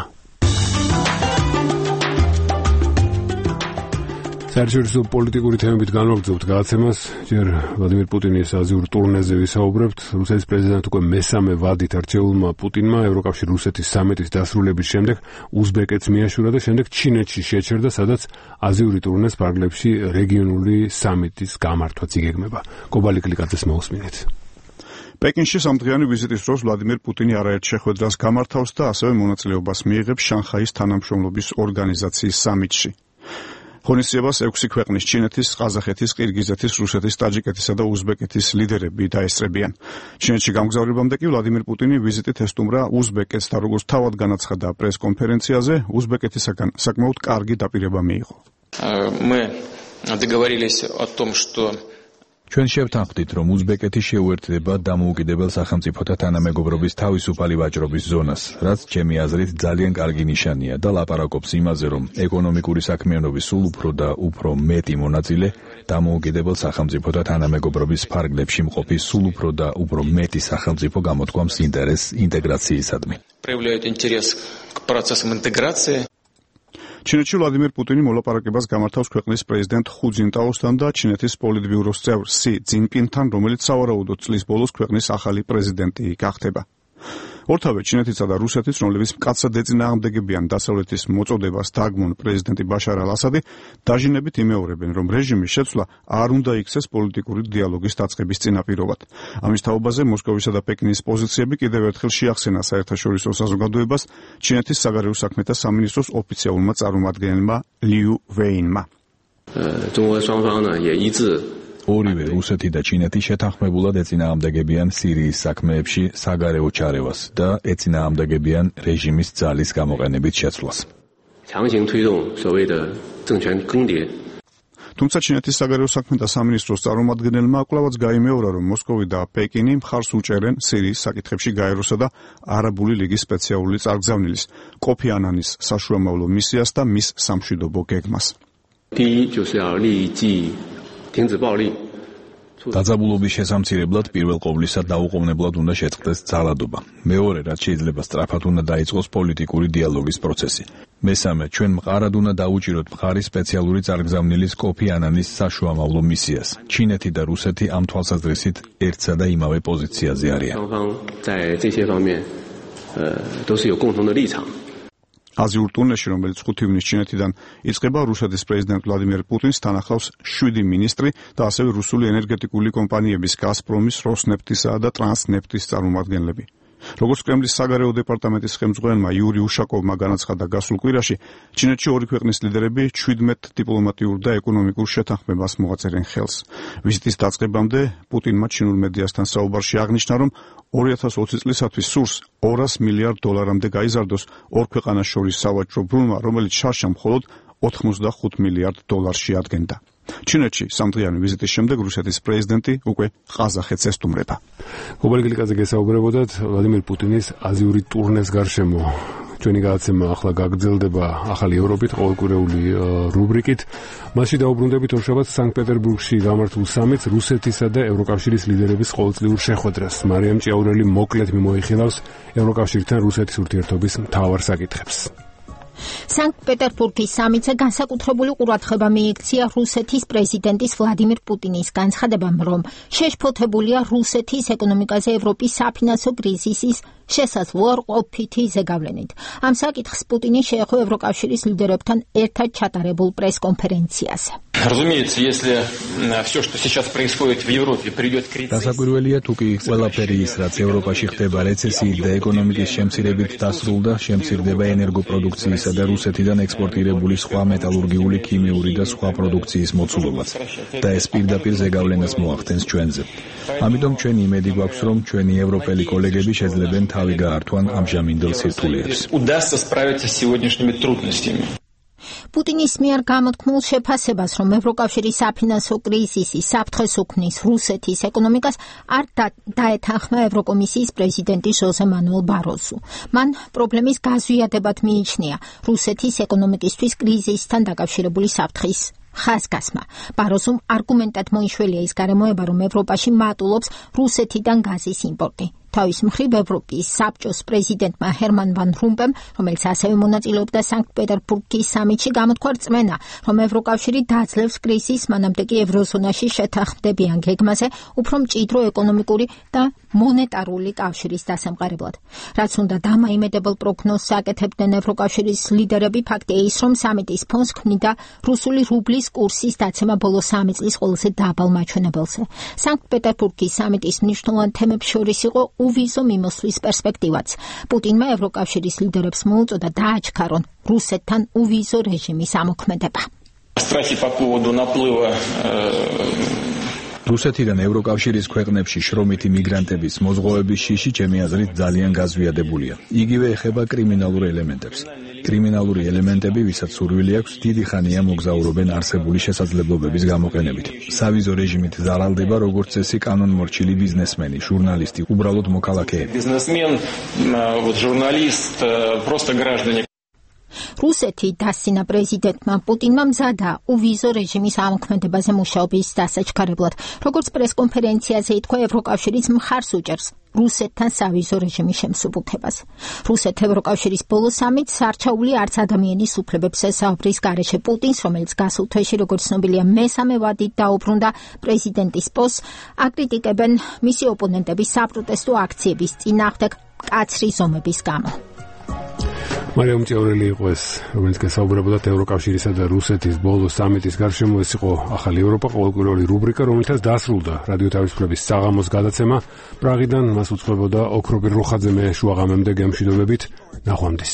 საერთაშორისო პოლიტიკური თემებით განვაგრძობთ გადაცემას. ჯერ ვლადიმერ პუტინის აზიურ ტურნეზე ვისაუბრებთ. რუსეთის პრეზიდენტ უკვე მესამე ვადით არჩეულმა პუტინმა ევროკავშირ-რუსეთის სამიტის დასრულების შემდეგ უზბეკეთს მიაშურა და შემდეგ ჩინეთში შეჩერდა, სადაც აზიური ტურნეს ფარგლებში რეგიონული სამიტის გამართვაც იგეგმება. კობალი კლიკაძეს მოусმინეთ. პეკინში სამდღიანი ვიზიტის დროს ვლადიმერ პუტინი არაერთ შეხვედრას გამართავს და ასევე მონაწილეობას მიიღებს შანხაის თანამშრომლობის ორგანიზაციის სამიტში. ღონისძიებას 6 ქვეყნის ჩინეთის, ყაზახეთის, ყირგიზეთის, რუსეთის, ტაჯიკეთისა და უზბეკეთის ლიდერები დაესწრებიან. ჩინეთში გამგზავრებამდე კი ვლადიმერ პუტინი ვიზიტით ესტუმრა უზბეკეთს და როგორც თავად განაცხადა პრეს-კონფერენციაზე, უზბეკეთისაგან საკმაოდ კარგი დაპირება მიიღო. Мы договорились о том, что ჩვენ შევთანხმდით, რომ უზბეკეთი შეუერთდება დამოუკიდებელ სახელმწიფოთა თანამეგობრობის თავისუფალი ვაჭრობის ზონას, რაც ჩემი აზრით ძალიან კარგი ნიშანია და ლაპარაკობს იმაზე, რომ ეკონომიკური საქმიანობის სულ უფრო და უფრო მეტი მონაწილე დამოუკიდებელ სახელმწიფოთა თანამეგობრობის ფარგლებში მყოფი სულ უფრო და უფრო მეტი სახელმწიფო გამოთქვამს ინტერესს ინტეგრაციისადმი. проявляют интерес к процессам интеграции. ჩინეთში ვლადიმერ პუტინი მოლაპარაკებას გამართავს ქვეყნის პრეზიდენტ ხუ ძინტაოსთან და ჩინეთის პოლიტბიუროს წევრ სი ძინპინთან, რომელიც სავარაუდოდ წლის ბოლოს ქვეყნის ახალი პრეზიდენტი გახდება. ორთავე ჩინეთისა და რუსეთის, რომლებიც მკაცრად ეწინააღმდეგებიან დასავლეთის მოწოდებას დაგმონ პრეზიდენტი ბაშარ ალ-ასადი, დაჟინებით იმეორებენ, რომ რეჟიმის შეცვლა არ უნდა იქცეს პოლიტიკური დიალოგის დაწყების წინაპირობად. ამის თაობაზე მოსკოვისა და პეკინის პოზიციები კიდევ ერთხელ შეახსენა საერთაშორისო საზოგადოებას ჩინეთის საგარეო საქმეთა სამინისტროს ოფიციალურმა წარმომადგენელმა ლიუ ვეინმა. ორივე რუსეთი და ჩინეთი შეთანხმებულად ეწინააღმდეგებიან სირიის საქმეებში საგარეო ჩარევას და ეწინააღმდეგებიან რეჟიმის ძალის გამოყენებით შეცვლას. თუმცა ჩინეთის საგარეო საქმეთა სამინისტროს წარმომადგენელმა კვლავაც გაიმეორა, რომ მოსკოვი და პეკინი მხარს უჭერენ სირიის საკითხებში გაეროსა და არაბული ლიგის სპეციალური წარგზავნილის კოფი ანანის საშუამავლო მისიას და მის სამშვიდობო გეგმას. დაძაბულობის შესამცირებლად პირველ ყოვლისა დაუყოვნებლად უნდა შეწყდეს ძალადობა. მეორე, რაც შეიძლება სწრაფად უნდა დაიწყოს პოლიტიკური დიალოგის პროცესი. მესამე, ჩვენ მყარად უნდა დაუჭიროთ მხარის სპეციალური წარგზავნილის კოფი ანანის საშუამავლო მისიას. ჩინეთი და რუსეთი ამ თვალსაზრისით ერთსა და იმავე პოზიციაზე არიან. აზიურ ტურნეში, რომელიც 5 ივნისს ჩინეთიდან იწყება, რუსეთის პრეზიდენტ ვლადიმერ პუტინს თან ახლავს 7 მინისტრი და ასევე რუსული ენერგეტიკული კომპანიების გაზპრომის, როსნეფტისა და ტრანსნეფტის წარმომადგენლები. როგორც კრემლის საგარეო დეპარტამენტის ხელმძღვანელმა იური უშაკოვმა განაცხადა გასულ კვირაში, ჩინეთში ორი ქვეყნის ლიდერები 17 დიპლომატიურ და ეკონომიკურ შეთანხმებას მოაწერენ ხელს. ვიზიტის დაწყებამდე პუტინმა ჩინურ მედიასთან საუბარში აღნიშნა, რომ 2020 წლისათვის სურს $200 მილიარდამდე გაიზარდოს ორ ქვეყანას შორის სავაჭრო ბრუნვა, რომელიც შარშან მხოლოდ $85 მილიარდ ადგენდა. ჩინეთში სამდღიანი ვიზიტის შემდეგ რუსეთის პრეზიდენტი უკვე ყაზახეთს ესტუმრება. გობალგილიკაძე გესაუბრებოდათ ვლადიმერ პუტინის აზიური ტურნეს გარშემო. ჩვენი გადაცემა ახლა გაგრძელდება ახალი ევროპით, ყოველკვირეული რუბრიკით. მასში დაუბრუნდებით ორშაბათს სანქტ-პეტერბურგში გამართულ სამიტს, რუსეთისა და ევროკავშირის ლიდერების ყოველწლიურ შეხვედრას. მარიამ ჭიაურელი მოკლედ მიმოიხილავს ევროკავშირთან რუსეთის ურთიერთობის მთავარ საკითხებს. სანქტ-პეტერბურგის სამიტზე განსაკუთრებული ყურადღება მიიქცია რუსეთის პრეზიდენტის ვლადიმერ პუტინის განცხადებამ, რომ შეშფოთებულია რუსეთის ეკონომიკაზე ევროპის საფინანსო კრიზისის შესაძლოა ყოფითი ზეგავლენით. ამ საკითხს პუტინი შეეხო ევროკავშირის ლიდერებთან ერთად ჩატარებულ პრეს-კონფერენციაზე. Разумеется, если все, что сейчас происходит в Европе, придет кризис. დასაკვირველია თუ კი ყველაფერი ის, რაც ევროპაში ხდება რეცესიით და ეკონომიკის შემცირებით დასრულდა, შემცირდება ენერგოპროდუქციისა და რუსეთიდან ექსპორტირებული სხვა მეტალურგიული, ქიმიური და სხვა პროდუქციის მოცულობაც. და ეს პირდაპირ ზეგავლენას მოახდენს ჩვენზე. ამიტომ ჩვენ იმედი გვაქვს, რომ ჩვენი ევროპელი კოლეგები შეძლებენ თავი გაართვან ამჟამინდელ სირთულეებს. Удастся справиться с сегодняшними трудностями. პუტინის მიერ გამოთქმულ შეფასებას, რომ ევროკავშირის საფინანსო კრიზისი საფრთხეს უქმნის რუსეთის ეკონომიკას, არ დაეთანხმა ევროკომისიის პრეზიდენტი ჟოზე მანუელ ბაროზუ. მან პრობლემის გაზვიადებად მიიჩნია რუსეთის ეკონომიკისთვის კრიზისთან დაკავშირებული საფრთხის ხაზგასმა. ბაროზუმ არგუმენტად მოიშველია ის გარემოება, რომ ევროპაში მატულობს რუსეთიდან გაზის იმპორტი. თავის მხრივ ევროპის საბჭოს პრეზიდენტმა ჰერმან ვან რომპემ, რომელიც ასევე მონაწილეობდა სანქტ-პეტერბურგის სამიტში, გამოთქვა რწმენა, რომ ევროკავშირი დაძლევს კრიზისს, მანამდე კი ევროზონაში შეთანხმდებიან გეგმაზე უფრო მჭიდრო ეკონომიკური და მონეტარული კავშირის დასამყარებლად. რაც უნდა დამაიმედებელ პროგნოზს აკეთებდნენ ევროკავშირის ლიდერები, ფაქტია ის, რომ სამიტის ფონს ქმნიდა რუსული რუბლის კურსის დაცემა ბოლო 3 წლის ყველაზე დაბალ მაჩვენებელზე. სანქტ-პეტერბურგის სამიტის მნიშვნელოვან თემებს შორის იყო უვიზო მიმოსვლის პერსპექტივაც. პუტინმა ევროკავშირის ლიდერებს მოუწოდა დააჩქარონ რუსეთთან უვიზო რეჟიმის ამოქმედება. რუსეთიდან ევროკავშირის ქვეყნებში შრომითი მიგრანტების მოზღვავების შიში ჩემი აზრით ძალიან გაზვიადებულია. იგივე ეხება კრიმინალურ ელემენტებს. კრიმინალური ელემენტები, ვისაც სურვილი აქვს, დიდი ხანია მოგზაურობენ არსებული შესაძლებლობების გამოყენებით. სავიზო რეჟიმით ზარალდება როგორც წესი კანონმორჩილი ბიზნესმენი, ჟურნალისტი, უბრალოდ მოქალაქეები. Бизнесмен, журналист, просто граждане. რუსეთი დასცინა პრეზიდენტმა პუტინმა მზადა უვიზო რეჟიმის ამოქმედებაზე მუშაობის დასაჩქარებლად. როგორც პრესკონფერენციაზე ითქვა, ევროკავშირიც მხარს უჭერს რუსეთთან სავიზო რეჟიმის შემსუბუქებას. რუსეთ-ევროკავშირის ბოლო სამიტს არჩეული არც ადამიანის უფლებებს ესაუბრის გარეშე პუტინს, რომელიც გასულ თვეში, როგორც ცნობილია, მესამე ვადით დაუბრუნდა პრეზიდენტის პოსტს, აკრიტიკებენ მისი ოპონენტების საპროტესტო აქციების წინააღმდეგ მკაცრი ზომების გამო. მარიამ ჭიაურელი იყო ეს, რომელიც გასაუბრებოდა ევროკავშირისა და რუსეთის ბოლო სამიტის გარშემო. ეს იყო ახალი ევროპა, ყოველკვირეული რუბრიკა, რომელთაც დასრულდა რადიო თავისუფლების საღამოს გადაცემა. პრაღიდან მას უწყებოდა ოქრობირ რუხაძე, მე შუაღამემდე გემშვიდობებით, ნახვამდის.